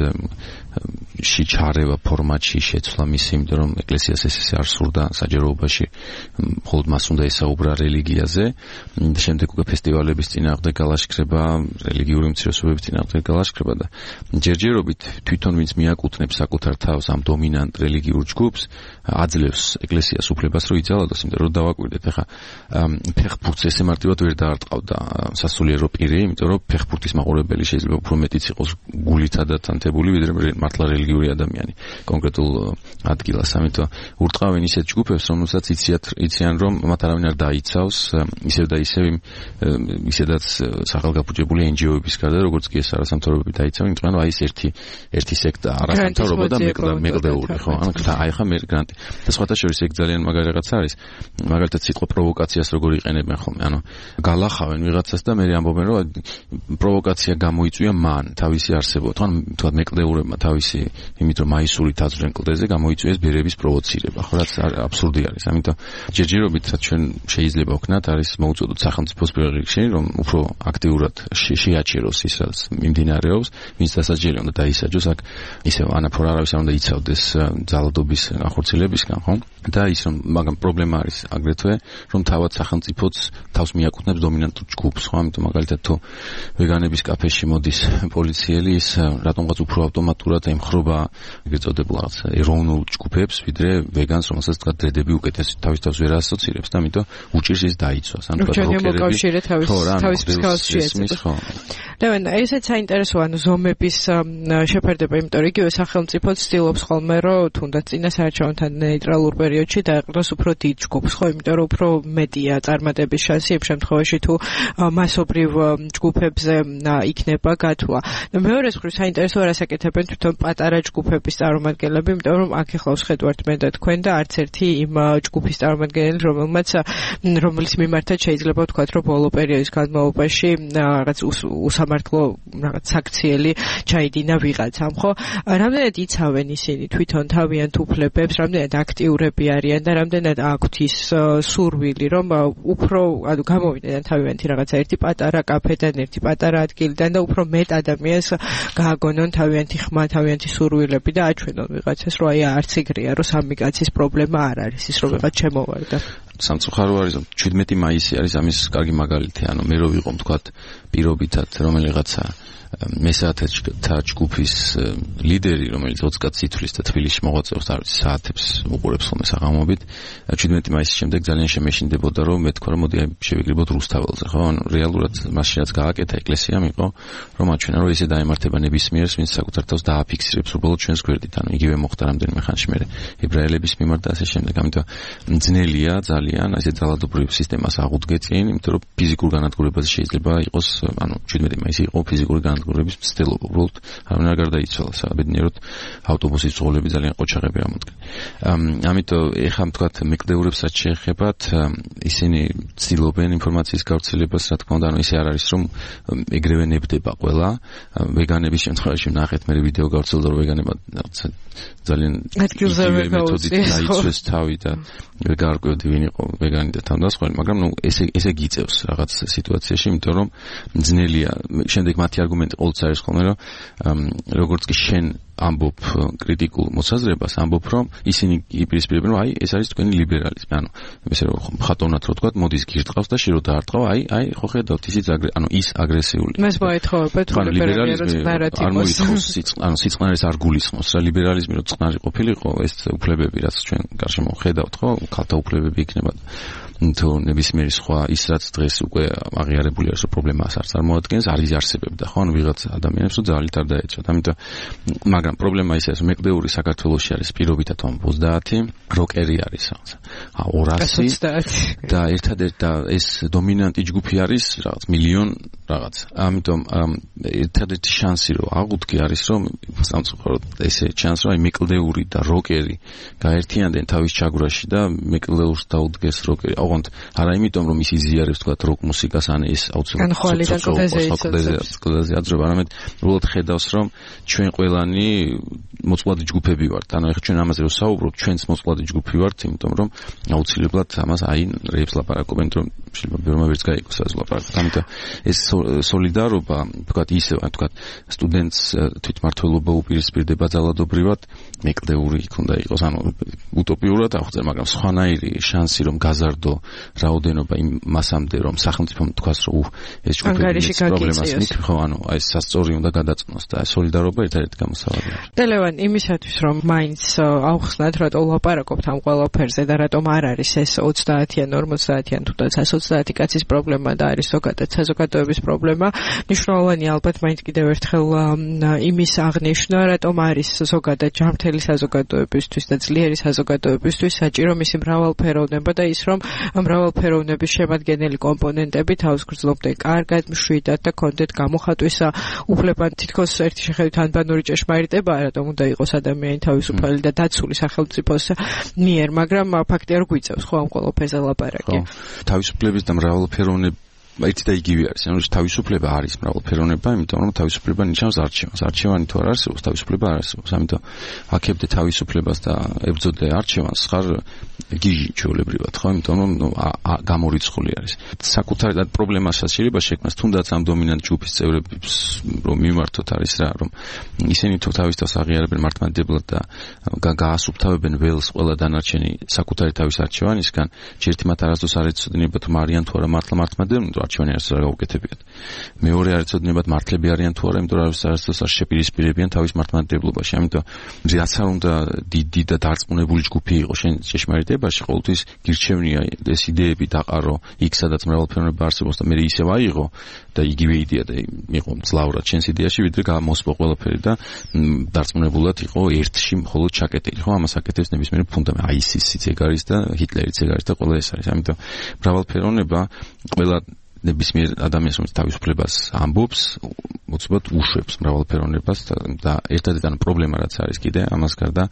ჩარევა ფორმატში შეცვლა მისი, იმიტომ რომ ეკლესიას ესე არ სურდა საჯაროობაში, მხოლოდ მას უნდა ესაუბრა რელიგიაზე. შემდეგ უკვე ფესტივალების წინააღმდეგ გალაშქრება, რელიგიური უმცირესობების წინააღმდეგ გალაშქრება და ჯერჯერობით თვითონ ვინც მიაკუთვნებს საკუთარ თავს ამ დომინანტ რელიგიურ ჯგუფს, აძლევს ეკლესიას უფლებას რომ იძალადოს, იმიტომ რომ დავაკვირდეთ, ახლა ფეხბურთს ესე მარტივად ვერ დაარტყავდა სასულიერო პირი, იმიტომ რომ ფეხბურთის მაყურებელი შეიძლება უფრო მეტიც იყოს გულითად დათანთებული, ვიდრე მართლა რელიგიური ადამიანი კონკრეტულ ადგილას. ამიტომ ურტყავენ ისეთ ჯგუფებს, რომელსაც იციან, რომ მათ არავინ არ დაიცავს, ისევ და ისევ ისედაც სახელგაფუჭებული NGO-ების გარდა, როგორც კი ეს არასამთავრობოები დაიცავენ, იმიტომ რომ აი ეს ერთი სექტა არასამთავრობო და მეკვლეული, ხო? ანუ აი ხა მე გრანტი. და სხვათა შორის ეგ ძალიან მაგარი რაღაცა არის. მაგალითად სიტყვა პროვოკაციას როგორ იყენებენ ხოლმე, ანუ გალახავენ ვიღაცას და მე ამბობენ, რომ პროვოკაცია გამოიწვია მან თავისი არსებობა. თქვათ მეკლდეურებმა თავისი იმით რომ მაისურით აძლევენ კლდეზე გამოიწვიეს ბერების პროვოცირება, ხო, რაც აბსურდი არის. ამიტომ ჯერჯერობით ჩვენ შეიძლება ვქნათ არის მოუწოდოთ სახელმწიფოს პირველ რიგში, რომ უფრო აქტიურად შეაჩეროს ის რაც მიმდინარეობს, ვინც დასაჯელი უნდა დაისაჯოს, აქ ისევ ანაფორ არავის არ უნდა იცავდეს ძალადობის ახორციელებისგან, ხო? და ის რომ მაგრამ პრობლემა არის აგრეთვე რომ თავად სახელმწიფოც თავს მიაკუთვნებს დომინანტურ ჯგუფს, ხო? ამიტომ მაგალითად თუ ვეგანების კაფეში მოდის პოლიციელი, ის რატომღაც უფრო ავტომატურად ემხრობა ეგრეთ წოდებულ რაღაც ეროვნულ ჯგუფებს, ვიდრე ვეგანს, რომელსაც თქვა დრედები უკეთეს თავის თავს ვერ ასოცირებს და ამიტომ უჭირს ის დაიცვას. ანუ თქვა როკერები თავის მსგავსში ეწევს. და ესეც საინტერესოა, ანუ ზომების შეფერდება, იმიტომ რომ იგივე სახელმწიფო ცდილობს ხოლმე, რომ თუნდაც წინასაარჩევნოთან ნეიტრალურ პერიოდში დაეყრდნოს უფრო დიდ ჯგუფს, ხო, იმიტომ რომ უფრო მეტია წარმატების შანსი იმ შემთხვევაში თუ მასობრივ ჯგუფებზე იქნება გათვლა. და მეორეს მხრივ საინტერესოა რას აკეთებენ თვითონ პატარა ჯგუფების წარმომადგენლები, იმიტომ რომ აქ ახლა ვხედავთ მე და თქვენ და არც ერთი იმ ჯგუფის წარმომადგენელი, რომელიც მიმართად შეიძლება ვთქვათ, რომ ბოლო პერიოდის განმავლობაში რაღაც უსამართლო რაღაც საქციელი ჩაიდინა ვიღაცამ, ხო? რამდენად იცავენ ისინი თვითონ თავიანთ უფლებებს, რამდენად აქტიურები არიან და რამდენად აქვთ ის სურვილი, რომ უფრო ანუ გამოვიდნენ თავიანთი რაღაცა ერთი პატარა კაფედან, ერთი პატარა ადგილიდან და უფრო მეტ ადამიანს გააგონონ თავიანთი ხმა, თავიანთი სურვილები და აჩვენონ ვიღაცას, რომ აი არც ეგრეა, რომ სამი კაცის პრობლემა არ არის ის, რომ ვიღაც შემოვარდა. სამწუხარო არის, რომ 17 მაისი არის ამის კარგი მაგალითი, ანუ მე რო ვიყო თქვათ პირობითად რომელიღაცა მესაათთა ჯგუფის ლიდერი, რომელიც 20 კაცს ითვლის და თბილისში მოღვაწეობს, არ ვიცი, საათებს უყურებს ხოლმე საღამობით, 17 მაისის შემდეგ ძალიან შემეშინდებოდა, რომ მე თქვა, რომ მოდი შევიკრიბოთ რუსთაველზე, ხო? ანუ რეალურად მაშინაც გააკეთა ეკლესიამ იყო, რომ აჩვენა, რომ ესე დაემართება ნებისმიერს, ვინც საკუთარ თავს დააფიქსირებს უბრალოდ ჩვენს გვერდით, ანუ იგივე მოხდა რამდენიმე ხანში მერე ებრაელების მიმართ და ასე შემდეგ. ამიტომ ძნელია ძალიან ესე ძალადობრივ სისტემას აღუდგეწინ, იმიტომ რომ ფიზიკურ განადგურებაზე შეიძლება იყოს, ანუ 17 მაისი იყო ფიზიკური განადგურების მცდელობა, უბრალოდ არავინ არ გარდაიცვალა, საბედნიეროდ ავტობუსის ძღოლები ძალიან ყოჩაღები ამოდგნენ. ამიტომ ეხლა თქვათ მეკლდეურებსაც შეეხებათ, ისინი ცდილობენ ინფორმაციის გავრცელებას, რა თქმა უნდა, ანუ ისე არ არის, რომ ეგრევე ნებდება ყველა. ვეგანების შემთხვევაში ნახეთ მე ვიდეო გავრცელდა, რომ ვეგანებმა ძალიან ადგილზე ვერ დაიცვეს თავი და ვერ გაარკვევდი ვინ იყო ვეგანი და თავდასხმელი, მაგრამ ნუ ესე გიწევს რაღაც სიტუაციაში, იმიტომ რომ ძნელია. შემდეგ მათი არგუმენტი ყოველთვის არის ხოლმე, რომ როგორც კი შენ ამბობ კრიტიკულ მოსაზრებას, ამბობ რომ ისინი იპირისპირებენ, რომ აი ეს არის თქვენი ლიბერალიზმი, ანუ ესე რომ ხატოვნად რო თქვა, მოდის გირტყავს და შე რო დაარტყავ, აი ხო ხედავთ ისიც ის აგრესიული. მას მოეთხოვებათ რომ ლიბერალიზმი არ მოითხოვს, ანუ სიწყნარეს არ გულისხმობს რა ლიბერალიზმი რო წყნარი ყოფილიყო, ეს უფლებები რაც ჩვენ გარშემო ხედავთ, ხო, ქალთა უფლებები იქნება თუ ნებისმიერი სხვა ის რაც დღეს უკვე აღიარებული არის, რომ პრობლემას არც არ მოადგენს, არის არსებობდა, ხო, ანუ ვიღაც ადამიანებს რომ ძალით არ დაეწოთ. ამიტომ მაგრამ მაგრამ პრობლემა ისაა, რომ მეკლდეური საქართველოში არის პირობითად 30, როკერი არის რაღაცა 200 და ერთადერთი ეს დომინანტი ჯგუფი არის რაღაც მილიონ რაღაც. ამიტომ ერთადერთი შანსი რომ აღუდგე არის რომ სამწუხაროდ ესე შანსი რომ მეკლდეური და როკერი გაერთიანდნენ თავის ჩაგვრაში და მეკლდეურს დაუდგეს როკერი. ოღონდ არა იმიტომ რომ ის იზიარებს თქვა როკ მუსიკას ან ეს აუცილებლად აძრება, არამედ უბრალოდ ხედავს რომ ჩვენ ყველანი მოწყვლადი ჯგუფები ვართ. ანუ ეხლა ჩვენ ამაზე რომ საუბრობთ, ჩვენც მოწყვლადი ჯგუფი ვართ, იმიტომ რომ აუცილებლად ამას რეებს ლაპარაკობენ, რომ შეიძლება ბევრმა ვერც გაიგოს ასე ლაპარაკობთ. ამიტომ ეს სოლიდარობა, თქვა ისე, თქვა სტუდენტს თვითმმართველობა უპირისპირდება ძალადობრივად, მეკლდეური იქ უნდა იყოს, ანუ უტოპიურად აღწერ, მაგრამ სხვანაირი შანსი რომ გაზარდო რაოდენობა იმ მასამდე რომ სახელმწიფომ თქვას რომ ეს ჯგუფი პრობლემას მიქრ ხო, ანუ ეს სასწორი უნდა გადაწყვეტოს და სოლიდარობა ერთადერთი გამოსავალია. დელევან, იმისათვის რომ მაინც აუხსნათ რატო ლაპარაკობთ ამ ყველაფერზე და რატომ არ არის ეს 30-იან, 50-იან თუ 120 კაცის პრობლემა და არის ზოგადად საზოგადოების პრობლემა, მნიშვნელოვანი ალბათ მაინც კიდევ ერთხელ იმის აღნიშვნა, რატომ არის ზოგადად ჯანმრთელი საზოგადოებისთვის და ძლიერი საზოგადოებისთვის საჭირო მისი მრავალფეროვნება და ის რომ მრავალფეროვნების შემადგენელი კომპონენტები თავს გრძნობდნენ კარგად, მშვიდად და კონდეთ გამოხატვისა უფლებად თითქოს ერთი შეხედვით ანბანური ჭეშმარიტება, რატომ უნდა იყოს ადამიანი თავისუფალი და დაცული სახელმწიფოს მიერ, მაგრამ ფაქტია რომ გვიწევს ხო ამ ყველაფერზე ლაპარაკი. თავისუფლების და მრავალფეროვნება ერთი და იგივე არის. ანუ თავისუფლება არის მრავალფეროვნება, იმიტომ რომ თავისუფლება ნიშნავს არჩევანს. არჩევანი თუ არ არსებობს, თავისუფლება არ არსებობს. ამიტომ აქებდე თავისუფლებას და ებრძოდე არჩევანს ხარ გიჟი ჩვეულებრივად, ხო? იმიტომ რომ გამორიცხული არის. საკუთარი და პრობლემასაც შეიძლება შექმნას, თუნდაც ამ დომინანტ ჯგუფის წევრებს რომ მიმართოთ არის რა, რომ ისინი თუ თავის თავს აღიარებენ მართლმადიდებლად და გაასუფთავებენ ველს ყველა დანარჩენი საკუთარი თავის არჩევანისგან, ჯერთი მათ არასდროს არ ეცოდინებათ თუ არიან თუ არა მართლმადიდებლები, არჩევანი არც არ გაუკეთებიათ. მეორე არ ეცოდინებათ მართლები არიან თუ არა, იმიტომ რომ არასდროს არ შეპირისპირებიან თავის მართლმადიდებლობაში. ამიტომ რაც არ უნდა დიდი და დარწმუნებული ჯგუფი იყოს შენ ჭეშმარიტებაში, ყოველთვის გირჩევნია ეს იდეები დაყარო იქ, სადაც მრავალფეროვნება არსებობს და მე ისევ აიღო და იგივე იდეა და იყო ძლავრად შენს იდეაში, ვიდრე გამოსპო ყველაფერი და დარწმუნებულად იყო ერთში მხოლოდ ჩაკეტილი. ხო, ამას აკეთებს ნებისმიერი ფუნდამენტი, აისისიც ეგ არის და ჰიტლერიც ეგ არის და ყველა ეს არის. ამიტომ მრავალფეროვნება ყველა ნებისმიერ ადამიანს რომელიც თავისუფლებას ამბობს, უცბად უშვებს მრავალფეროვნებას და ერთადერთი პრობლემა რაც არის კიდე ამას გარდა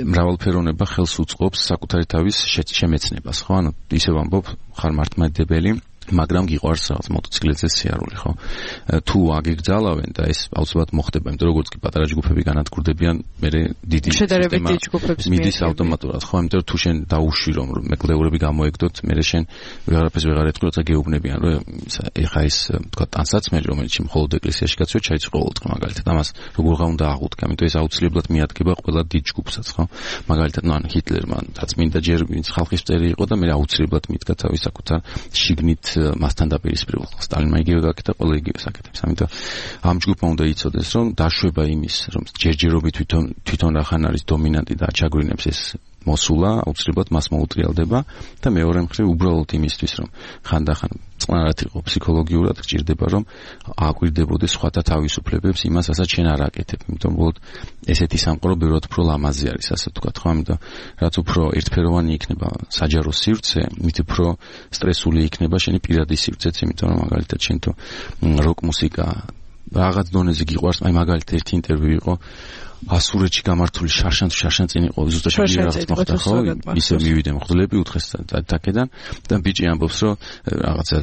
მრავალფეროვნება ხელს უწყობს საკუთარი თავის შემეცნებას, ხო? ანუ ისევ ამბობ, ხარ მართლმადიდებელი, მაგრამ გიყვარს რაღაც მოტოციკლებზე სიარული, ხო? თუ აგიგძალავენ და ეს აუცილებლად მოხდება, იმიტომ როგორც კი პატარა ჯგუფები განადგურდებიან, მე დიდი შედარებით დიდი ჯგუფების მიდის ავტომატურად, ხო? იმიტომ რომ თუ შენ დაუშვი რომ მეკლდეურები გამოეგდოთ, მე შენ ვეღარაფერს ვეღარ ეთქვი, როცა გეუბნებიან, რომ ეხა ეს თქვა ტანსაცმელი, რომელიც მხოლოდ ეკლესიაში გაწვევ, ჩაიწყო ყოველდღე მაგალითად. ამას როგორ უნდა აღუდგა, იმიტომ ეს აუცილებლად მიადგება ყველა დიდ ჯგუფსაც, ხო? მაგალითად, ნუ ან ჰიტლერმა რაც მინდა ჯერ ვინც ხალხის წერი იყო და მე აუცილებლად მიდგა თავის საკუთარ შიგნით მასთან დაპირისპირებულ. სტალინმა იგივე გაკეთა, ყველა იგივე საკეთებს. ამიტომ ამ ჯგუფმა უნდა იცოდეს, რომ დაშვება იმის, რომ ჯერჯერობით თვითონ რახან არის დომინანტი და აჩაგვრინებს ეს მოსულა, აუცილებლად მას მოუტრიალდება და მეორე მხრივ უბრალოდ იმისთვის, რომ ხანდახან წყნარად იყო ფსიქოლოგიურად გჭირდება, რომ ააკვირდებოდეს სხვათა თავისუფლებებს იმას, რასაც შენ არ აკეთებ. იმიტომ რომ ესეთი სამყარო ბევრად უფრო ლამაზი არის, ასე ვთქვათ, ხო? ამიტომ რაც უფრო ერთფეროვანი იქნება საჯარო სივრცე, მით უფრო სტრესული იქნება შენი პირადი სივრცეც, იმიტომ რომ მაგალითად შენ თუ როკ მუსიკა რაღაც დონეზე გიყვარს, აი მაგალითად ერთი ინტერვიუ იყო ასურეთში გამართული შარშან წინ იყო ზუსტად რაღაც მოხდა, ხო? ისე მივიდა მღვდლები უთხეს თაკედან და ბიჭი ამბობს, რომ რაღაცა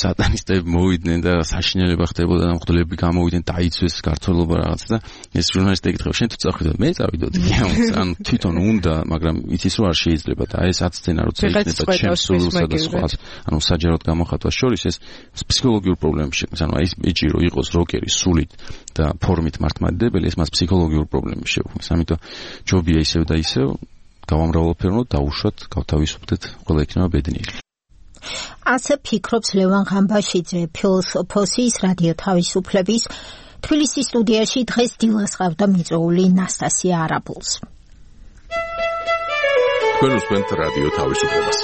სატანისტები მოვიდნენ და საშინელება ხდებოდა და მღვდლები გამოვიდნენ, დაიცვეს ქართველობა რაღაც და ეს ჟურნალისტი ეკითხება, შენ თუ წავიდod, მე წავიდოდი. ანუ თვითონ უნდა, მაგრამ იცის რომ არ შეიძლება და ეს აცცენა როცა იქნება ჩემს სულსა და სხვას, ანუ საჯაროდ გამოხატვას შორის ეს ფსიქოლოგიურ პრობლემებს შექმნის. ანუ ეს ბიჭი რო იყოს როკერი სულით და ფორმით მართლმადიდებელი, ეს მას ფსიქოლოგიურ პრობლემებს შეუქმნის. ამიტომ ჯობია ისევ და ისევ გავამრავალფეროვნოთ, დაუშვათ, გავთავისუფლდეთ, ყველა იქნება ბედნიერი. ასე ფიქრობს ლევან ღამბაშიძე, ფილოსოფოსის რადიო თავისუფლების თბილისის სტუდიაში დღეს დილას ყავდა მიწვეული ნასტასია არაბულს. თქვენ უსმენთ რადიო თავისუფლებას.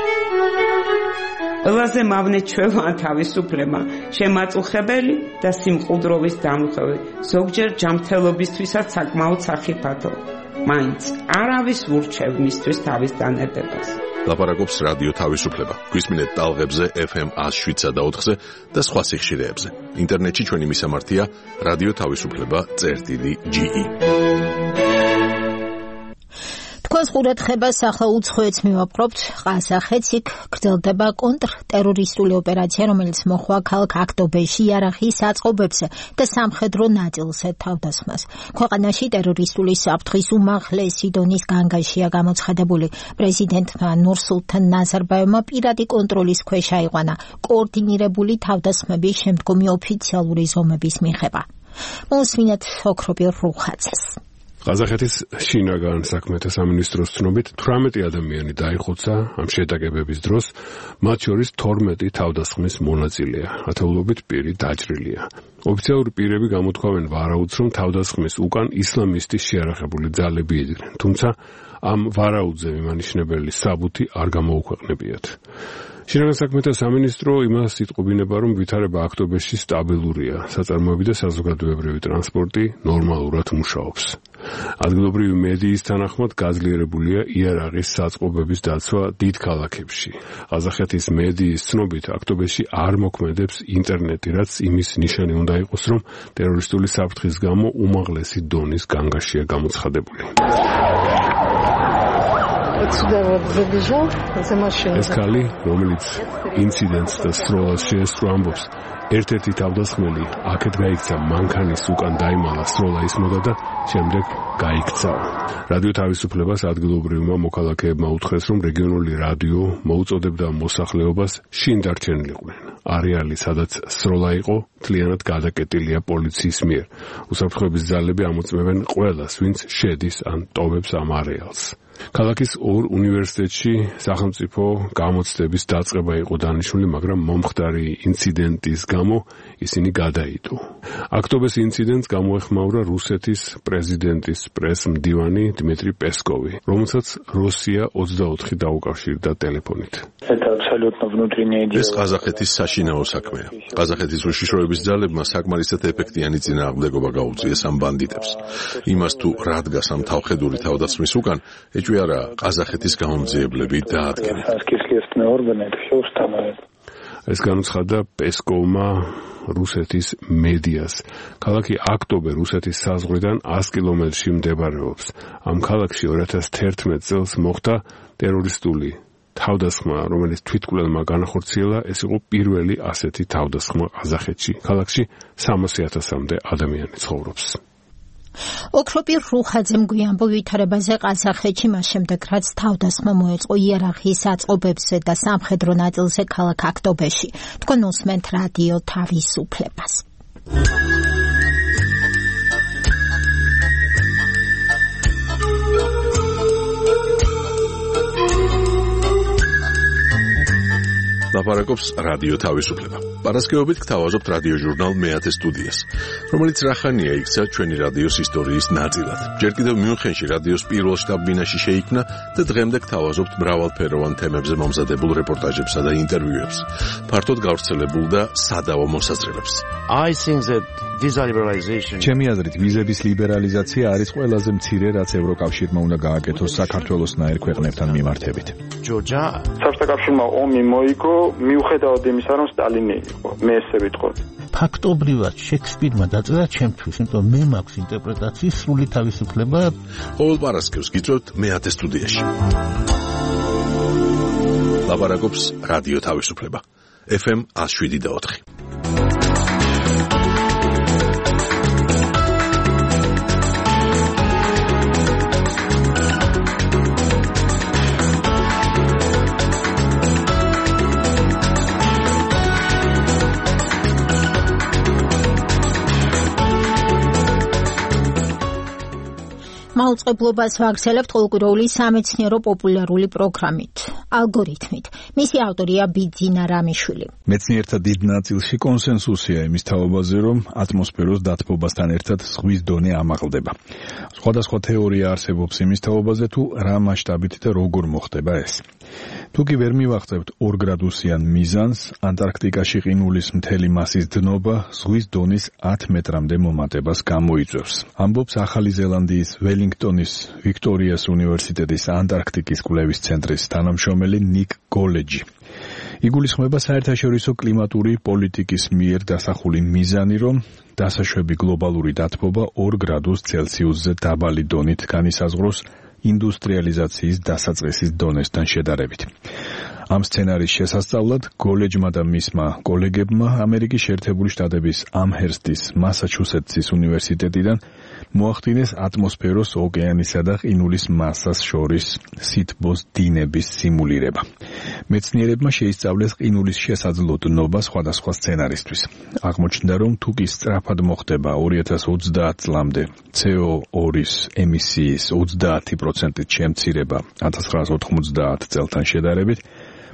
ყველაზე მავნე ჩვევა თავისუფლება, შემაწუხებელი და სიმყუდროვის დამღები, ზოგჯერ ჯანმრთელობისთვისაც საკმაოდ სახიფათო. მაინც არავის ურჩევ მისთვის თავის დანებებას. ლაპარაკობს რადიო თავისუფლება. გვისმინეთ ტალღებზე FM 107.4-ზე და სხვა სიხშირეებზე. ინტერნეტში ჩვენი მისამართია რადიო თავისუფლება.ge. თქვენს ყურადღებას ახლა უცხოეთს მივაპყრობთ. ყაზახეთს იქ გრძელდება კონტრტერორისტული ოპერაცია, რომელიც მოხდა ქალაქ აქტობეში იარაღის აწყობებზე და სამხედრო ნაწილზე თავდასხმას. ქვეყანაში ტერორისტული საფრთხის უმაღლესი დონის განგაშია გამოცხადებული. პრეზიდენტმა ნურსულთან ნაზარბაევმა პირადი კონტროლის ქვეშ აიყვანა კოორდინირებული თავდასხმების შემდგომი ოფიციალური ზომების მიღება. მოსმინეთ ოქროპირ რუხაძეს. ყაზახეთის შინაგან საქმეთა სამინისტროს ცნობით 18 ადამიანი დაიხოცა ამ შეტაკებების დროს, მათ შორის 12 თავდასხმის მონაწილეა, ათეულობით პირი დაჭრილია. ოფიციალური პირები გამოთქვამენ ვარაუდს, რომ თავდასხმის უკან ისლამისტის შეიარაღებული ძალები იდგნენ, თუმცა ამ ვარაუდზე მიმანიშნებელი საბუთი არ გამოუქვეყნებიათ. შინაგან საქმეთა სამინისტრო იმას იტყობინება, რომ ვითარება აქტობეში სტაბილურია, საწარმოები და საზოგადოებრივი ტრანსპორტი ნორმალურად მუშაობს. ადგილობრივი მედიის თანახმად გაძლიერებულია იარაღის საწყობების დაცვა დიდ ქალაქებში. ყაზახეთის მედიის ცნობით აქტობეში არ მოქმედებს ინტერნეტი, რაც იმის ნიშანი უნდა იყოს, რომ ტერორისტული საფრთხის გამო უმაღლესი დონის განგაშია გამოცხადებული. ეს ქალი, რომელიც ინციდენტს და სროლას შეესწრო, ამბობს, ერთ-ერთი თავდასხმელი აქეთ გაიქცა მანქანის უკან დაიმალა, სროლა ისმოდა და შემდეგ გაიქცაო. რადიო თავისუფლებას ადგილობრივმა მოქალაქეებმა უთხრეს, რომ რეგიონული რადიო მოუწოდებდა მოსახლეობას შინ დარჩენილიყვნენ. არეალი, სადაც სროლა იყო, მთლიანად გადაკეტილია პოლიციის მიერ. უსაფრთხოების ძალები ამოწმებენ ყველას, ვინც შედის ან ტოვებს ამ არეალს. ქალაქის ორ უნივერსიტეტში სახელმწიფო გამოცდების დაწყება იყო დანიშნული, მაგრამ მომხდარი ინციდენტის გამო ისინი გადაიდო. აქტობეს ინციდენტს გამოეხმაურა რუსეთის პრეზიდენტის პრეს-მდივანი დიმიტრი პესკოვი, რომელსაც რუსია 24 დაუკავშირდა ტელეფონით. ეს ყაზახეთის საშინაო საქმეა. ყაზახეთის უშიშროების ძალებმა საკმარისად ეფექტიანი წინააღმდეგობა გაუწიეს ამ ბანდიტებს. იმას თუ რადგას ამ თავხედური თავდასხმის უკან ეჭვიარა ყაზახეთის გაუმძიებლები დაადგენენ. ეს განუცხადა პესკოვმა რუსეთის მედიას. ქალაქი აქტობე რუსეთის საზღვრიდან 100 კილომეტრში მდებარეობს. ამ ქალაქში 2011 წელს მოხდა ტერორისტული თავდასხმა, რომელიც თვითკვლელმა განახორციელა. ეს იყო პირველი ასეთი თავდასხმა ყაზახეთში. ქალაქში 300,000-მდე ადამიანი ცხოვრობს. ოქროპირ რუხაძემ გვიანბო ვითარებაზე ყაზახეთში, მას შემდეგ რაც თავდასხმა მოეწყო იარაღის აწყობებზე და სამხედრო ნაწილზე ქალაქ აქტობეში. თქვენ უსმენთ რადიო თავისუფლებას. ლაპარაკობს რადიო თავისუფლება. პარასკევობით გთავაზობთ რადიო ჟურნალ მეათე სტუდიას, რომელიც რახანია იქცა ჩვენი რადიოს ისტორიის ნაწილად. ჯერ კიდევ მიუნხენში რადიოს პირველ შტაბ-ბინაში შეიქმნა და დღემდე გთავაზობთ მრავალფეროვან თემებზე მომზადებულ რეპორტაჟებსა და ინტერვიუებს, ფართოდ გავრცელებულ და სადავო მოსაზრებებს. ჩემი აზრით, ვიზების ლიბერალიზაცია არის ყველაზე მცირე, რაც ევროკავშირმა უნდა გააკეთოს საქართველოსნაირ ქვეყნებთან მიმართებით. საბჭოთა კავშირმა ომი მოიგო, მიუხედავად იმისა, რომ სტალინი იყო. მე ესე ვიტყოდი. ფაქტობრივად შექსპირმა დაწერა ჩემთვის, იმიტომ მე მაქვს ინტერპრეტაციის სრული თავისუფლება. ყოველ პარასკევს გიწევთ მეათე სტუდიაში. ლაპარაკობს რადიო თავისუფლება. FM 107.4. მაუწყებლობას ვაგრძელებთ ყოველკვირეული სამეცნიერო პოპულარული პროგრამით, ალგორითმით. მისი ავტორია ბიძინა რამიშვილი. მეცნიერთა დიდ ნაწილში კონსენსუსია იმის თაობაზე, რომ ატმოსფეროს დათბობასთან ერთად ზღვის დონე ამაღლდება. სხვადასხვა თეორია არსებობს იმის თაობაზე, თუ რა მასშტაბით და როგორ მოხდება ეს. თუ კი ვერ მივაღწევთ 2 გრადუსიან მიზანს, ანტარქტიკაში ყინულის მთელი მასის დნობა ზღვის დონის 10 მეტრამდე მომატებას გამოიწვევს. ამბობს ახალი ზელანდიის ველინგტონის ვიქტორიას უნივერსიტეტის ანტარქტიკის კვლევის ცენტრის თანამშრომელი ნიკ გოლეჯი. იგულისხმება საერთაშორისო კლიმატური პოლიტიკის მიერ დასახული მიზანი, რომ დასაშვები გლობალური დათბობა 2 გრადუს ცელსიუსზე დაბალი დონით განისაზღვროს ინდუსტრიალიზაციის დასაწყისის დონესთან შედარებით. ამ სცენარის შესასწავლად გოლეჯმა და მისმა კოლეგებმა ამერიკის შეერთებული შტატების ამჰერსტის მასაჩუსეტსის უნივერსიტეტიდან მოახდინეს ატმოსფეროს, ოკეანისა და ყინულის მასას შორის სითბოს დინების სიმულირება. მეცნიერებმა შეისწავლეს ყინულის შესაძლო დნობა სხვადასხვა სცენარისთვის. აღმოჩნდა, რომ თუ კი სწრაფად მოხდება 2030 წლამდე CO2-ის ემისიის 30%-ით შემცირება 1990 წელთან შედარებით,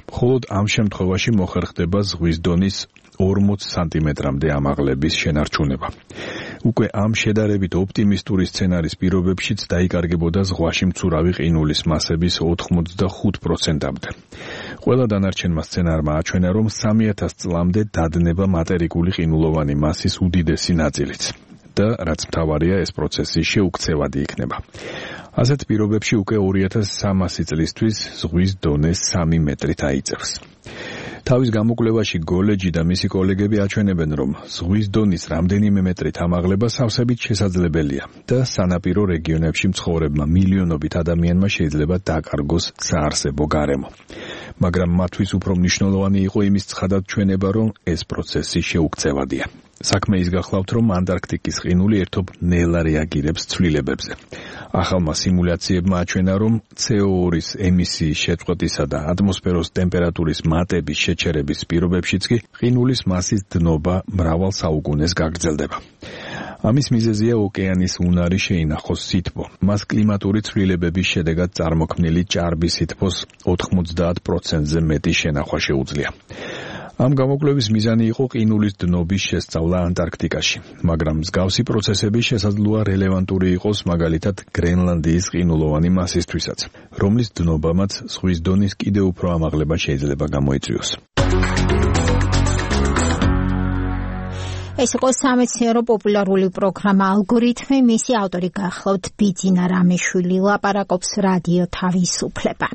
მხოლოდ ამ შემთხვევაში მოხერხდება ზღვის დონის 40 სანტიმეტრამდე ამაღლების შენარჩუნება. უკვე ამ შედარებით ოპტიმისტური სცენარის პირობებშიც დაიკარგებოდა ზღვაში მცურავი ყინულის მასების 85%-მდე. ყველა დანარჩენმა სცენარმა აჩვენა, რომ 3000 წლამდე დადნება მატერიკული ყინულოვანი მასის უდიდესი ნაწილიც. და რაც მთავარია, ეს პროცესი შეუქცევადი იქნება. ასეთ პირობებში უკვე 2300 წლისთვის ზღვის დონე 3 მეტრით აიწევს. თავის გამოკვლევაში გოლეჯი და მისი კოლეგები აჩვენებენ, რომ ზღვის დონის რამდენიმე მეტრით ამაღლება სავსებით შესაძლებელია და სანაპირო რეგიონებში მცხოვრებმა მილიონობით ადამიანმა შეიძლება დაკარგოს საარსებო გარემო. მაგრამ მათთვის უფრო მნიშვნელოვანი იყო იმის ცხადად ჩვენება, რომ ეს პროცესი შეუქცევადია. საქმე ის გახლავთ, რომ ანტარქტიკის ყინული ერთობ ნელა რეაგირებს ცვლილებებზე. ახალმა სიმულაციებმა აჩვენა, რომ CO2-ის ემისიის შეწყვეტისა და ატმოსფეროს ტემპერატურის მატების შეჩერების პირობებშიც კი ყინულის მასის დნობა მრავალ საუკუნეს გაგრძელდება. ამის მიზეზია ოკეანის უნარი შეინახოს სითბო. მას კლიმატური ცვლილებების შედეგად წარმოქმნილი ჭარბის სითბოს 90%-ზე მეტი შენახვა შეუძლია. ამ გამოკვლევის მიზანი იყო ყინულის დნობის შესწავლა ანტარქტიკაში, მაგრამ მსგავსი პროცესები შესაძლოა რელევანტური იყოს მაგალითად გრენლანდიის ყინულოვანი მასისთვისაც, რომლის დნობამაც ზღვის დონის კიდევ უფრო ამაღლება შეიძლება გამოიწვიოს. ეს იყო სამეცნიერო პოპულარული პროგრამა ალგორითმი, მისი ავტორი გახლავთ ბიძინა რამეშვილი, ლაპარაკობს რადიო თავისუფლება.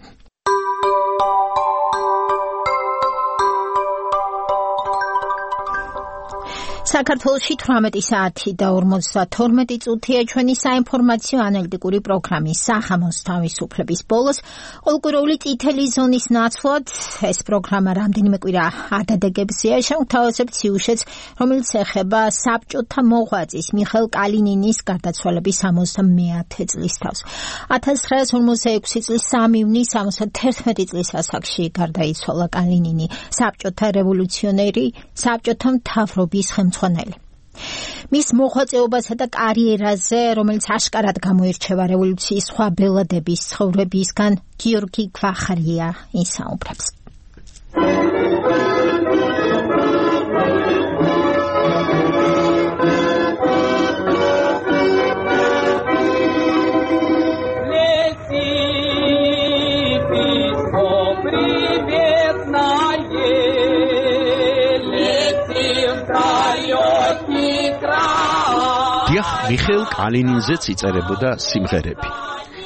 საქართველოში 18 საათი და 52 წუთია ჩვენი საინფორმაციო ანალიტიკური პროგრამის სახამოს თავისუფლების ბოლოს ყოველკვირეული წითელი ზონის ნაცვლად ეს პროგრამა რამდენიმე კვირა ადადეგებზეა. შევთავაზებთ სიუჟეტს, რომელიც ეხება საბჭოთა მოღვაწის მიხეილ კალინინის გარდაცვალების 70-ე წლის თავს. 1946 წლის 3 ივნის 71 წლის ასაკში გარდაიცვალა კალინინი, საბჭოთა რევოლუციონერი, საბჭოთა მთავრობის ხელმძღვანელი. მის მოღვაწეობასა და კარიერაზე, რომელიც აშკარად გამოირჩევა რევოლუციის სხვა ბელადების ცხოვრებისგან, გიორგი გვახარია ისაუბრებს. მიხეილ კალინინზეც იწერებოდა სიმღერები.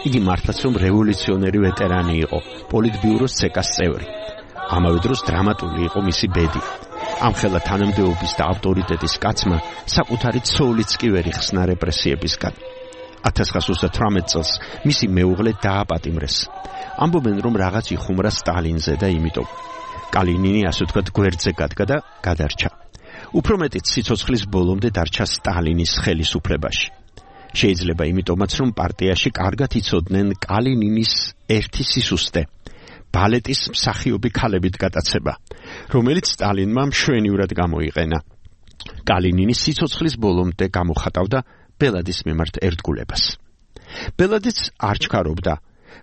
იგი მართლაც რომ რევოლუციონერი ვეტერანი იყო, პოლიტბიუროს ცეკას წევრი. ამავე დროს დრამატული იყო მისი ბედი. ამხელა თანამდებობის და ავტორიტეტის კაცმა საკუთარი ცოლიც კი ვერ იხსნა რეპრესიებისგან. 1938 წელს მისი მეუღლე დააპატიმრეს. ამბობენ რომ რაღაც იხუმრა სტალინზე და იმიტომ კალინინი ასე ვთქვათ გვერდზე გადგა და გადარჩა. უფრო მეტიც სიცოცხლის ბოლომდე დარჩა სტალინის ხელისუფლებაში. შეიძლება იმიტომაც რომ პარტიაში კარგად იცოდნენ კალინინის ერთი სისუსტე, ბალეტის მსახიობი ქალებით გატაცება, რომელიც სტალინმა მშვენივრად გამოიყენა. კალინინი სიცოცხლის ბოლომდე გამოხატავდა ბელადის მიმართ ერთგულებას. ბელადიც არ ჩქარობდა,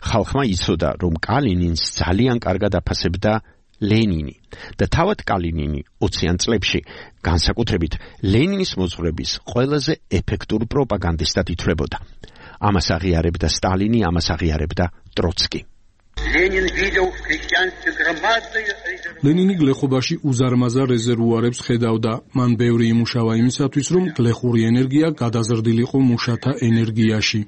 ხალხმა იცოდა რომ კალინინს ძალიან კარგად აფასებდა ლენინი და თავად კალინინი 20-იან წლებში განსაკუთრებით ლენინის მოძღვრების ყველაზე ეფექტურ პროპაგანდისტად ითვლებოდა. ამას აღიარებდა სტალინი, ამას აღიარებდა ტროცკი. ლენინი გლეხობაში უზარმაზარ რეზერვუარებს ხედავდა. მან ბევრი იმუშავა იმისათვის, რომ გლეხური ენერგია გადაზრდილიყო მუშათა ენერგიაში.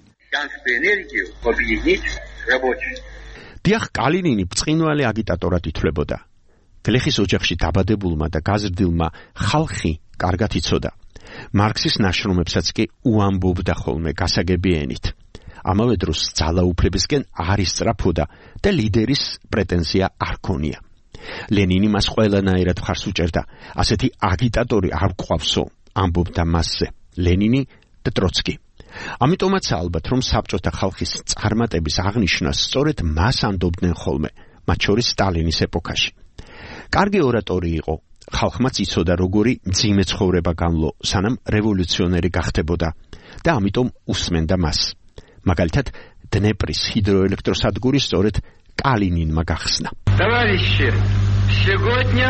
დიახ, კალინინი ბრწყინვალე აგიტატორად ითვლებოდა. გლეხის ოჯახში დაბადებულმა და გაზრდილმა ხალხი კარგად იცოდა. მარქსის ნაშრომებსაც კი უამბობდა ხოლმე გასაგები ენით. ამავე დროს ძალაუფლებისკენ არ ისწრაფოდა და ლიდერის პრეტენზია არ ქონია. ლენინი მას ყველანაირად მხარს უჭერდა. ასეთი აგიტატორი არ გვყავსო, ამბობდა მასზე ლენინი და ტროცკი. ამიტომაც ალბათ რომ საბჭოთა ხალხის წარმატების აღნიშვნას სწორედ მას ანდობდნენ ხოლმე, მათ შორის სტალინის ეპოქაში. კარგი ორატორი იყო, ხალხმაც იცოდა როგორი მძიმე ცხოვრება გამლო, სანამ რევოლუციონერი გახდებოდა და ამიტომ უსმენდა მას. მაგალითად, დნეპრის ჰიდროელექტროსადგური სწორედ კალინინმა გახსნა. Товарищи, сегодня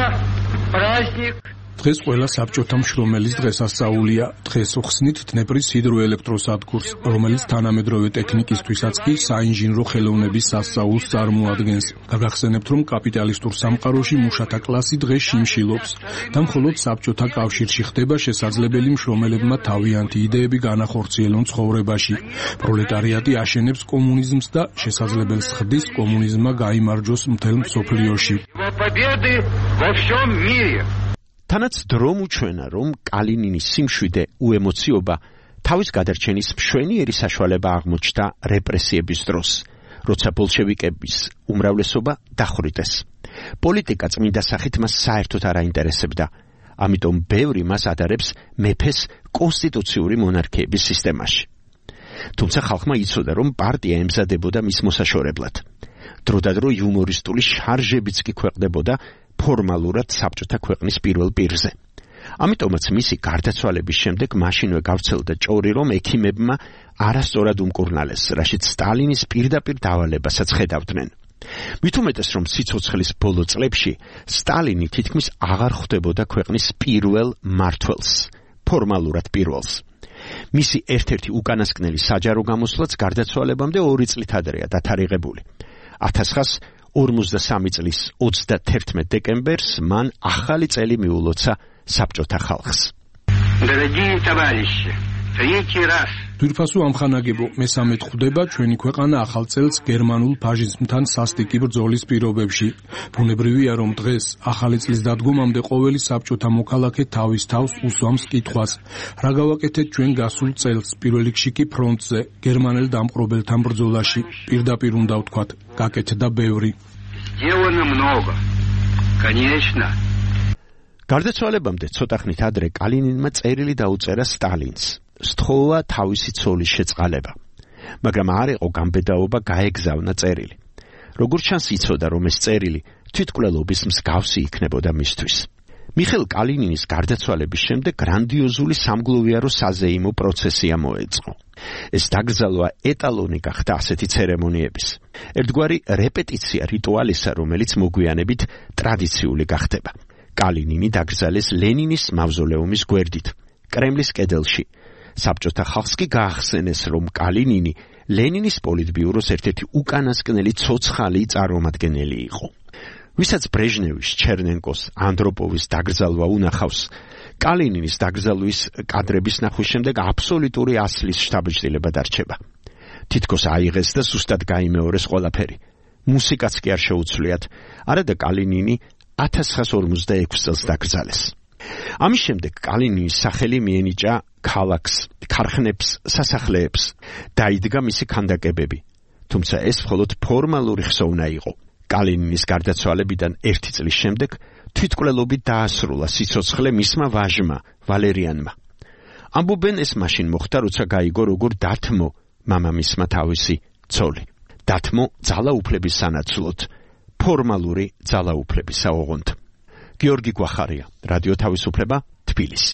праздник. დღეს ყველა საბჭოთა მშრომელის დღესასწაულია. დღეს ხსნით დნეპრის ჰიდროელექტროსადგურს, რომელიც თანამედროვე ტექნიკისთვისაც კი საინჟინრო ხელოვნების სასწაულს წარმოადგენს. გაგახსენებთ, რომ კაპიტალისტურ სამყაროში მუშათა კლასი დღეს შიმშილობს და მხოლოდ საბჭოთა კავშირში ხდება შესაძლებელი მშრომელებმა თავიანთი იდეები განახორციელონ ცხოვრებაში. პროლეტარიატი აშენებს კომუნიზმს და შესაძლებელს ხდის კომუნიზმმა გაიმარჯვოს მთელ მსოფლიოში. თანაც დრო უჩვენა, რომ კალინინის სიმშვიდე უემოციობა თავის გადარჩენის მშვენიერი საშუალება აღმოჩნდა რეპრესიების დროს, როცა ბოლშევიკების უმრავლესობა დახვრიტეს. პოლიტიკა წმინდა სახით მას საერთოდ არ აინტერესებდა, ამიტომ ბევრი მას ადარებს მეფეს კონსტიტუციური მონარქიების სისტემაში. თუმცა ხალხმა იცოდა, რომ პარტია ემზადებოდა მის მოსაშორებლად. დროდადრო იუმორისტული შარჟებიც კი ქვეყნდებოდა ფორმალურად საბჭოთა ქვეყნის პირველ პირზე. ამიტომაც მისი გარდაცვალების შემდეგ მაშინვე გავრცელდა ჭორი, რომ ექიმებმა არასწორად უმკურნალეს, რაშიც სტალინის პირდაპირ დავალებასაც ხედავდნენ. მით უმეტეს, რომ სიცოცხლის ბოლო წლებში სტალინი თითქმის აღარ ხვდებოდა ქვეყნის პირველ მმართველს, ფორმალურად პირველს. მისი ერთ-ერთი უკანასკნელი საჯარო გამოსვლაც გარდაცვალებამდე 2 წლით ადრეა დათარიღებული. 1953 წლის 31 დეკემბერს მან ახალი წელი მიულოცა საბჭოთა ხალხს. Дорогие товарищи, третий раз. თვირფასო ამხანაგებო, მესამედ ხვდება ჩვენი ქვეყანა ახალ წელს გერმანულ ფაშიზმთან სასტიკი ბრძოლის პირობებში. ბუნებრივია, რომ დღეს ახალი წლის დადგომამდე ყოველი საბჭოთა მოქალაქე თავის თავს უსვამს კითხვას: რა გავაკეთეთ ჩვენ გასულ წელს, პირველ რიგში კი ფრონტზე, გერმანელ დამპყრობელთან ბრძოლაში? პირდაპირ უნდა ვთქვათ, გაკეთდა ბევრი. Сделано много. Конечно. გარდაცვალებამდე ცოტა ხნით ადრე კალინინმა წერილი დაუწერა სტალინს. სთხოვა თავისი ცოლის შეწყალება. მაგრამ არ იყო გამბედაობა გაეგზავნა წერილი. როგორც ჩანს იცოდა, რომ ეს წერილი თვითკვლელობის მსგავსი იქნებოდა მისთვის. მიხეილ კალინინის გარდაცვალების შემდეგ გრანდიოზული სამგლოვიარო საზეიმო პროცესია მოეწყო. ეს დაკრძალვა ეტალონი გახდა ასეთი ცერემონიების. ერთგვარი რეპეტიცია რიტუალისა, რომელიც მოგვიანებით ტრადიციული გახდება. კალინინი დაკრძალეს ლენინის მავზოლეუმის გვერდით, კრემლის კედელში. საბჭოთა ხალხს კი გაახსენეს, რომ კალინინი ლენინის პოლიტბიუროს ერთ-ერთი უკანასკნელი ცოცხალი წარმომადგენელი იყო. ვისაც ბრეჟნევის, ჩერნენკოს, ანდროპოვის დაკრძალვა უნახავს, კალინინის დაკრძალვის კადრების ნახვის შემდეგ აბსოლუტური ასლის შთაბეჭდილება დარჩება. თითქოს აიღეს და ზუსტად გაიმეორეს ყველაფერი. მუსიკაც კი არ შეუცვლიათ, არადა კალინინი 1946 წელს დაკრძალეს. ამის შემდეგ კალინინის სახელი მიენიჭა ქალაქს, ქარხნებს, სასახლეებს. დაიდგა მისი ქანდაკებები. თუმცა ეს მხოლოდ ფორმალური ხსოვნა იყო. კალინინის გარდაცვალებიდან 1 წლის შემდეგ თვითკვლელობით დაასრულა სიცოცხლე მისმა ვაჟმა, ვალერიანმა. ამბობენ ეს მაშინ მოხდა, როცა გაიგო, როგორ დათმო მამამისმა თავისი ცოლი. დათმო ძალაუფლების სანაცვლოდ, ფორმალური ძალაუფლებისა ოღონდ. გიორგი გვახარია, რადიო თავისუფლება, თბილისი.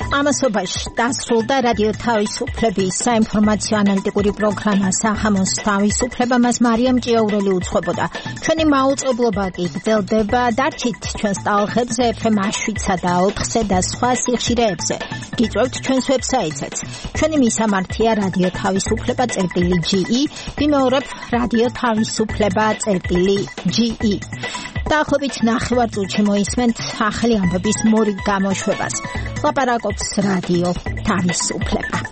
ამასობაში დასრულდა რადიო თავისუფლების საინფორმაციო ანალიტიკური პროგრამა სახამოს თავისუფლება, მას მარიამ ჭიაურელი უძღვებოდა. ჩვენი მაუწყებლობა კი გრძელდება. დარჩით ჩვენს ტალღებზე FM 7-სა და 4-ზე და სხვა სიხშირეებზე. გიწევთ ჩვენს ვებსაიტზეც. ჩვენი მისამართია რადიო თავისუფლება.ge, ვიმეორებ რადიო თავისუფლება.ge. დაახლოებით 9 წუთში მოისმენთ ახალი ამბების მორიგ გამოშვებას. ლაპარაკობს რადიო თავისუფლება.